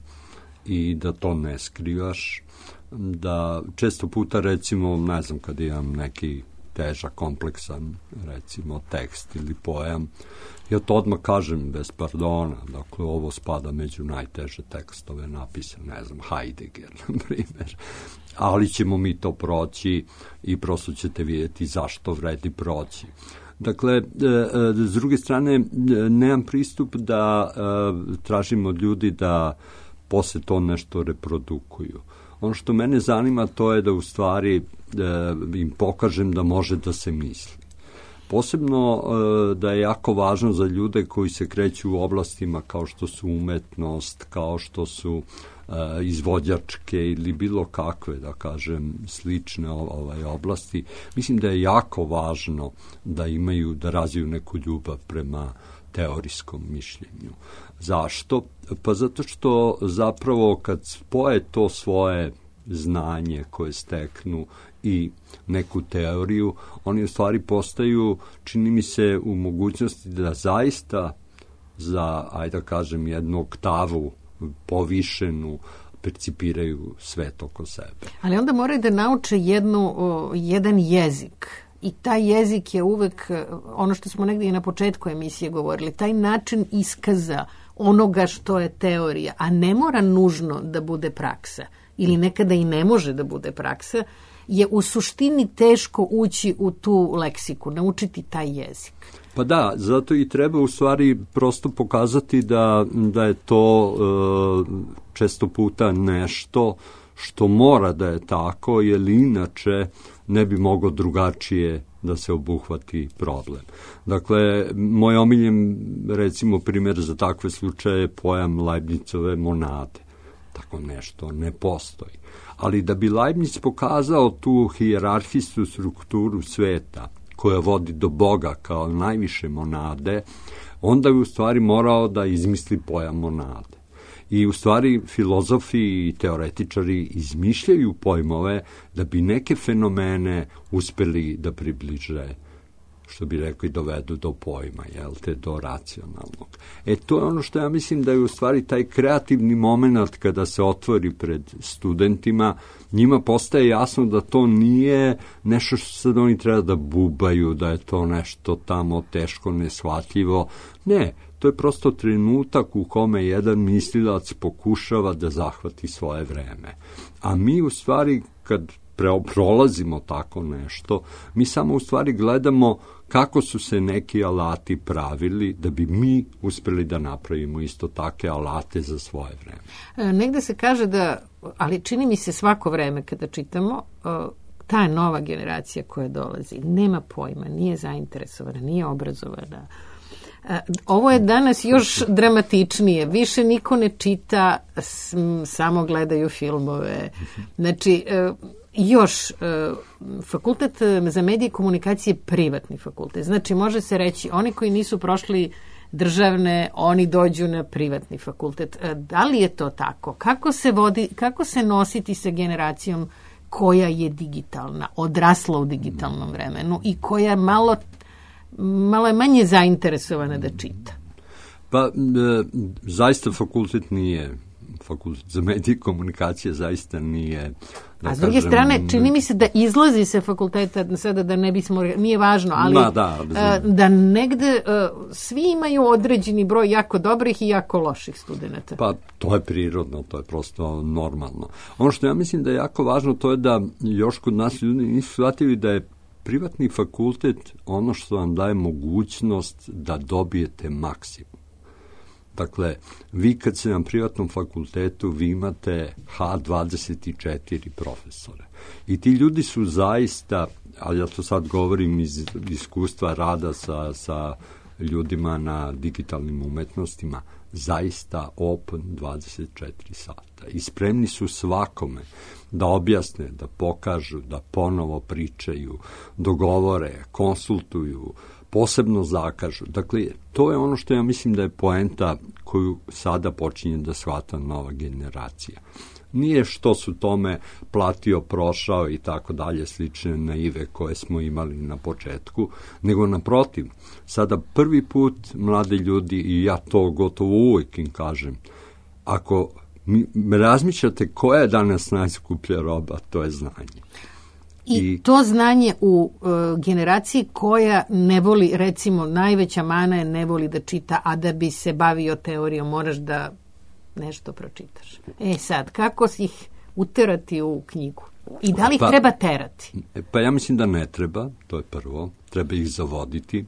i da to ne skrivaš, da često puta recimo, ne znam, kad imam neki težak, kompleksan, recimo tekst ili pojam, ja to odmah kažem bez pardona, dakle ovo spada među najteže tekstove napisane, ne znam, Heidegger, na primjer, ali ćemo mi to proći i prosto ćete vidjeti zašto vredi proći. Dakle, s druge strane, nemam pristup da tražim od ljudi da posle to nešto reprodukuju. Ono što mene zanima to je da u stvari im pokažem da može da se misli. Posebno da je jako važno za ljude koji se kreću u oblastima kao što su umetnost, kao što su izvođačke ili bilo kakve, da kažem, slične oblasti. Mislim da je jako važno da razviju neku ljubav prema teorijskom mišljenju. Zašto? Pa zato što zapravo kad spoje to svoje znanje koje steknu i neku teoriju, oni u stvari postaju, čini mi se, u mogućnosti da zaista za, ajde da kažem, jednu oktavu povišenu percipiraju svet oko sebe. Ali onda moraju da nauče jedan jezik. I taj jezik je uvek ono što smo negdje i na početku emisije govorili, taj način iskaza onoga što je teorija, a ne mora nužno da bude praksa ili nekada i ne može da bude praksa, je u suštini teško ući u tu leksiku, naučiti taj jezik. Pa da, zato i treba u stvari prosto pokazati da je to često puta nešto što mora da je tako, jer inače ne bi moglo drugačije da se obuhvati problem. Dakle, moj omiljen, recimo, primjer za takve slučaje je pojam Leibnicove monade. Tako nešto ne postoji. Ali da bi Leibniz pokazao tu hijerarhijsku strukturu sveta koja vodi do Boga kao najviše monade, onda je u stvari morao da izmisli pojam monade. I u stvari filozofi i teoretičari izmišljaju pojmove da bi neke fenomene uspeli da približe, što bi rekli, dovedu do pojma, do racionalnog. To je ono što ja mislim da je u stvari taj kreativni moment kada se otvori pred studentima, njima postaje jasno da to nije nešto što sad oni treba da bubaju, da je to nešto tamo teško, neshvatljivo. Ne, to je prosto trenutak u kome jedan mislilac pokušava da zahvati svoje vreme. A mi u stvari, kad prolazimo tako nešto, mi samo u stvari gledamo kako su se neki alati pravili da bi mi uspeli da napravimo isto take alate za svoje vreme. Negde se kaže da, ali čini mi se svako vreme kada čitamo, ta nova generacija koja dolazi nema pojma, nije zainteresovana, nije obrazovana. Ovo je danas još dramatičnije. Više niko ne čita, samo gledaju filmove. Znači, još fakultet za medije i komunikacije je privatni fakultet. Znači, može se reći, oni koji nisu prošli državne, oni dođu na privatni fakultet. Da li je to tako? Kako se nositi sa generacijom koja je digitalna, odrasla u digitalnom vremenu i koja malo je manje zainteresovana da čita? Pa, zaista fakultet nije, fakultet za medije i komunikacije zaista nije. A s druge strane, čini mi se da izlazi se fakulteta, sada da ne bismo, nije važno, ali da negde svi imaju određeni broj jako dobrih i jako loših studenta. Pa, to je prirodno, to je prosto normalno. Ono što ja mislim da je jako važno, to je da još kod nas ljudi nisu shvatili da je privatni fakultet ono što vam daje mogućnost da dobijete maksimum. Dakle, vi kad ste na privatnom fakultetu, vi imate H24 profesore. I ti ljudi su zaista, ali ja to sad govorim iz iskustva rada sa ljudima na digitalnim umetnostima, zaista open 24 sata. I spremni su svakome da objasne, da pokažu, da ponovo pričaju, dogovore, konsultuju, posebno zakažu. Dakle, to je ono što ja mislim da je poenta koju sada počinje da shvata nova generacija. Nije što su tome platio, prošao i tako dalje, slične naive koje smo imali na početku, nego naprotiv, sada prvi put mladi ljudi, i ja to gotovo uvijek im kažem, ako razmišljate koja je danas najskuplja roba, to je znanje. I to znanje u generaciji koja ne voli, recimo, najveća mana je ne voli da čita, a da bi se bavio teorijom moraš da nešto pročitaš. Sad, kako si ih uterati u knjigu? I da li ih treba terati? Pa ja mislim da ne treba, to je prvo. Treba ih zavoditi.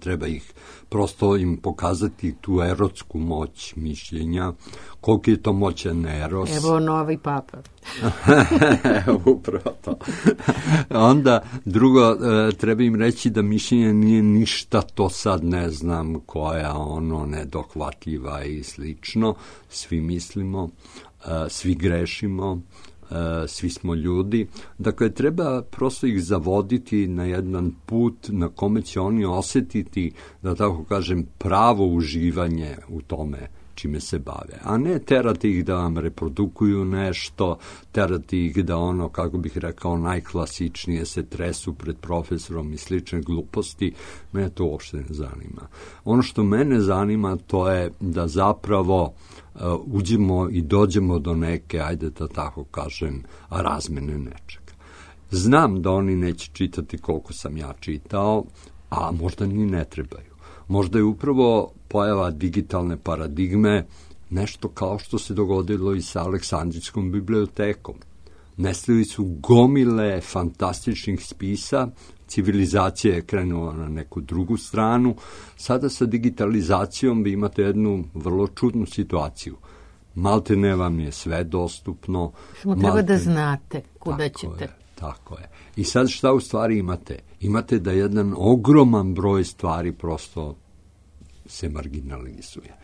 Treba ih prosto im pokazati tu erotsku moć mišljenja, koliko je to moćan eros. Evo novi papa. Upravo to. Onda drugo, treba im reći da mišljenje nije ništa, to sad ne znam koja nedohvatljiva i slično. Svi mislimo, svi grešimo, svi smo ljudi. Dakle, treba prosto ih zavoditi na jedan put na kome će oni osjetiti, da tako kažem, pravo uživanje u tome čime se bave. A ne terati ih da vam reprodukuju nešto, terati ih da kako bih rekao, najklasičnije se tresu pred profesorom i slične gluposti. Mene to uopšte ne zanima. Ono što mene zanima, to je da zapravo uđemo i dođemo do neke, ajde da tako kažem, razmene nečega. Znam da oni neće čitati koliko sam ja čitao, a možda ni ne trebaju. Možda je upravo pojava digitalne paradigme nešto kao što se dogodilo i sa Aleksandrijskom bibliotekom. Nestali su gomile fantastičnih spisa, civilizacija je krenula na neku drugu stranu. Sada sa digitalizacijom vi imate jednu vrlo čudnu situaciju. Malte ne vam je sve dostupno. Samo treba da znate kuda ćete. Tako je. I sad šta u stvari imate? Imate da jedan ogroman broj stvari prosto se marginalizuje.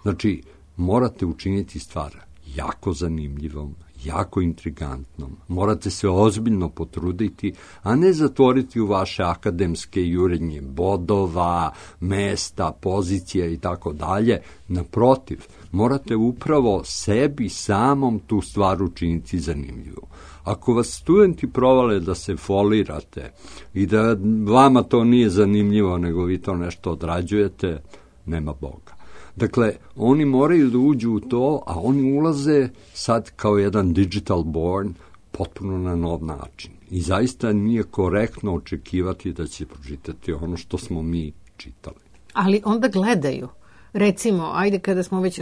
Znači, morate učiniti stvar jako zanimljivom, jako intrigantnom. Morate se ozbiljno potruditi, a ne zatvoriti u vaše akademske jurenje bodova, mesta, pozicija i tako dalje. Naprotiv, morate upravo sebi samom tu stvar učiniti zanimljivu. Ako vas studenti provale da se folirate i da vama to nije zanimljivo, nego vi to nešto odrađujete, nema Boga. Dakle, oni moraju da uđu u to, a oni ulaze sad kao jedan digital born potpuno na nov način. I zaista nije korektno očekivati da će pročitati ono što smo mi čitali. Ali onda gledaju. Recimo, ajde kada smo već,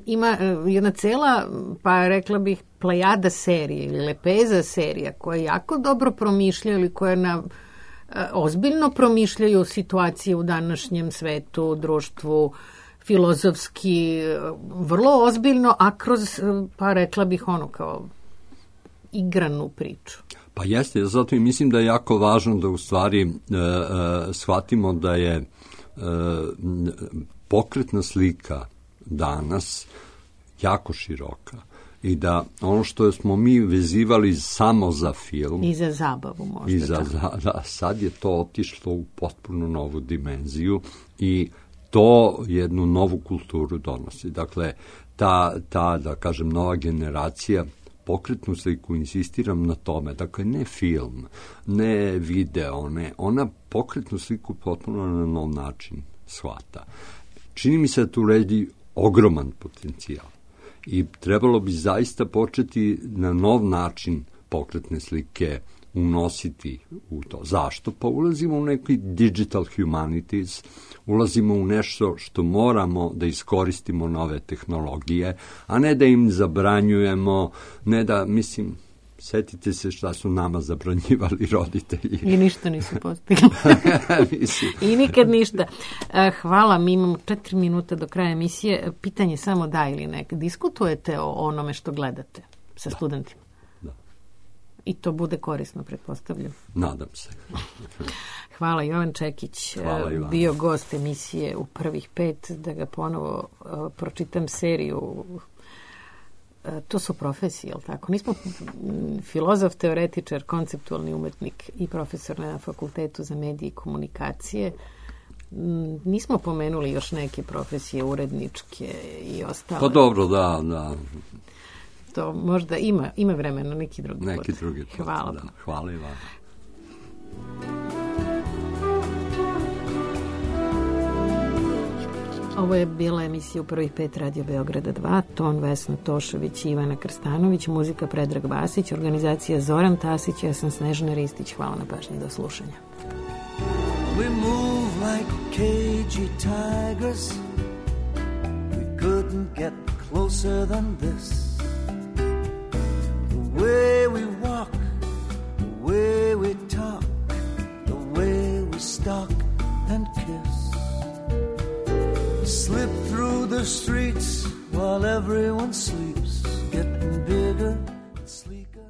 ima jedna cela, pa rekla bih, plejada serije ili lepeza serija koje jako dobro promišljaju ili koje ozbiljno promišljaju situacije u današnjem svetu, društvu, filozofski, vrlo ozbiljno, a kroz, pa rekla bih kao igranu priču. Pa jeste, zato i mislim da je jako važno da u stvari shvatimo da je pokretna slika danas jako široka i da ono što smo mi vezivali samo za film i za zabavu možda. Sad je to otišlo u potpuno novu dimenziju i to jednu novu kulturu donosi. Dakle, ta da kažem, nova generacija pokretnu sliku, insistiram na tome, dakle, ne film, ne video, ona pokretnu sliku potpuno na nov način shvata. Čini mi se da tu redi ogroman potencijal i trebalo bi zaista početi na nov način pokretne slike unositi u to. Zašto? Pa ulazimo u neki digital humanities, ulazimo u nešto što moramo da iskoristimo nove tehnologije, a ne da im zabranjujemo, ne da, mislim, setite se šta su nama zabranjivali roditelji. I ništa nisu postigli. I nikad ništa. Hvala, mi imamo 4 minuta do kraja emisije. Pitanje samo da ili ne. Diskutujete o onome što gledate sa studentima? Da. I to bude korisno, pretpostavljam. Nadam se. Hvala, Jovan Čekić, bio gost emisije u prvih 5, da ga ponovo pročitam seriju. To su profesije, jel tako? Nismo filozof, teoretičar, konceptualni umetnik i profesor na Fakultetu za medije i komunikacije. Nismo pomenuli još neke profesije, uredničke i ostale. Pa dobro, da. To možda ima vremena, neki drugi put. Hvala. Da. Hvala i vam. Ovo je bila emisija u prvih 5 Radio Beograda 2, ton Vesna Tošović i Ivana Krstanović, muzika Predrag Vasić, organizacija Zoran Tasić, ja sam Snežana Ristić. Hvala na pažnji, do slušanja. We move like cagey tigers. We couldn't get closer than this. The way we walk, the way we talk, the way we stalk and kiss. Slip through the streets while everyone sleeps, getting bigger and sleeker.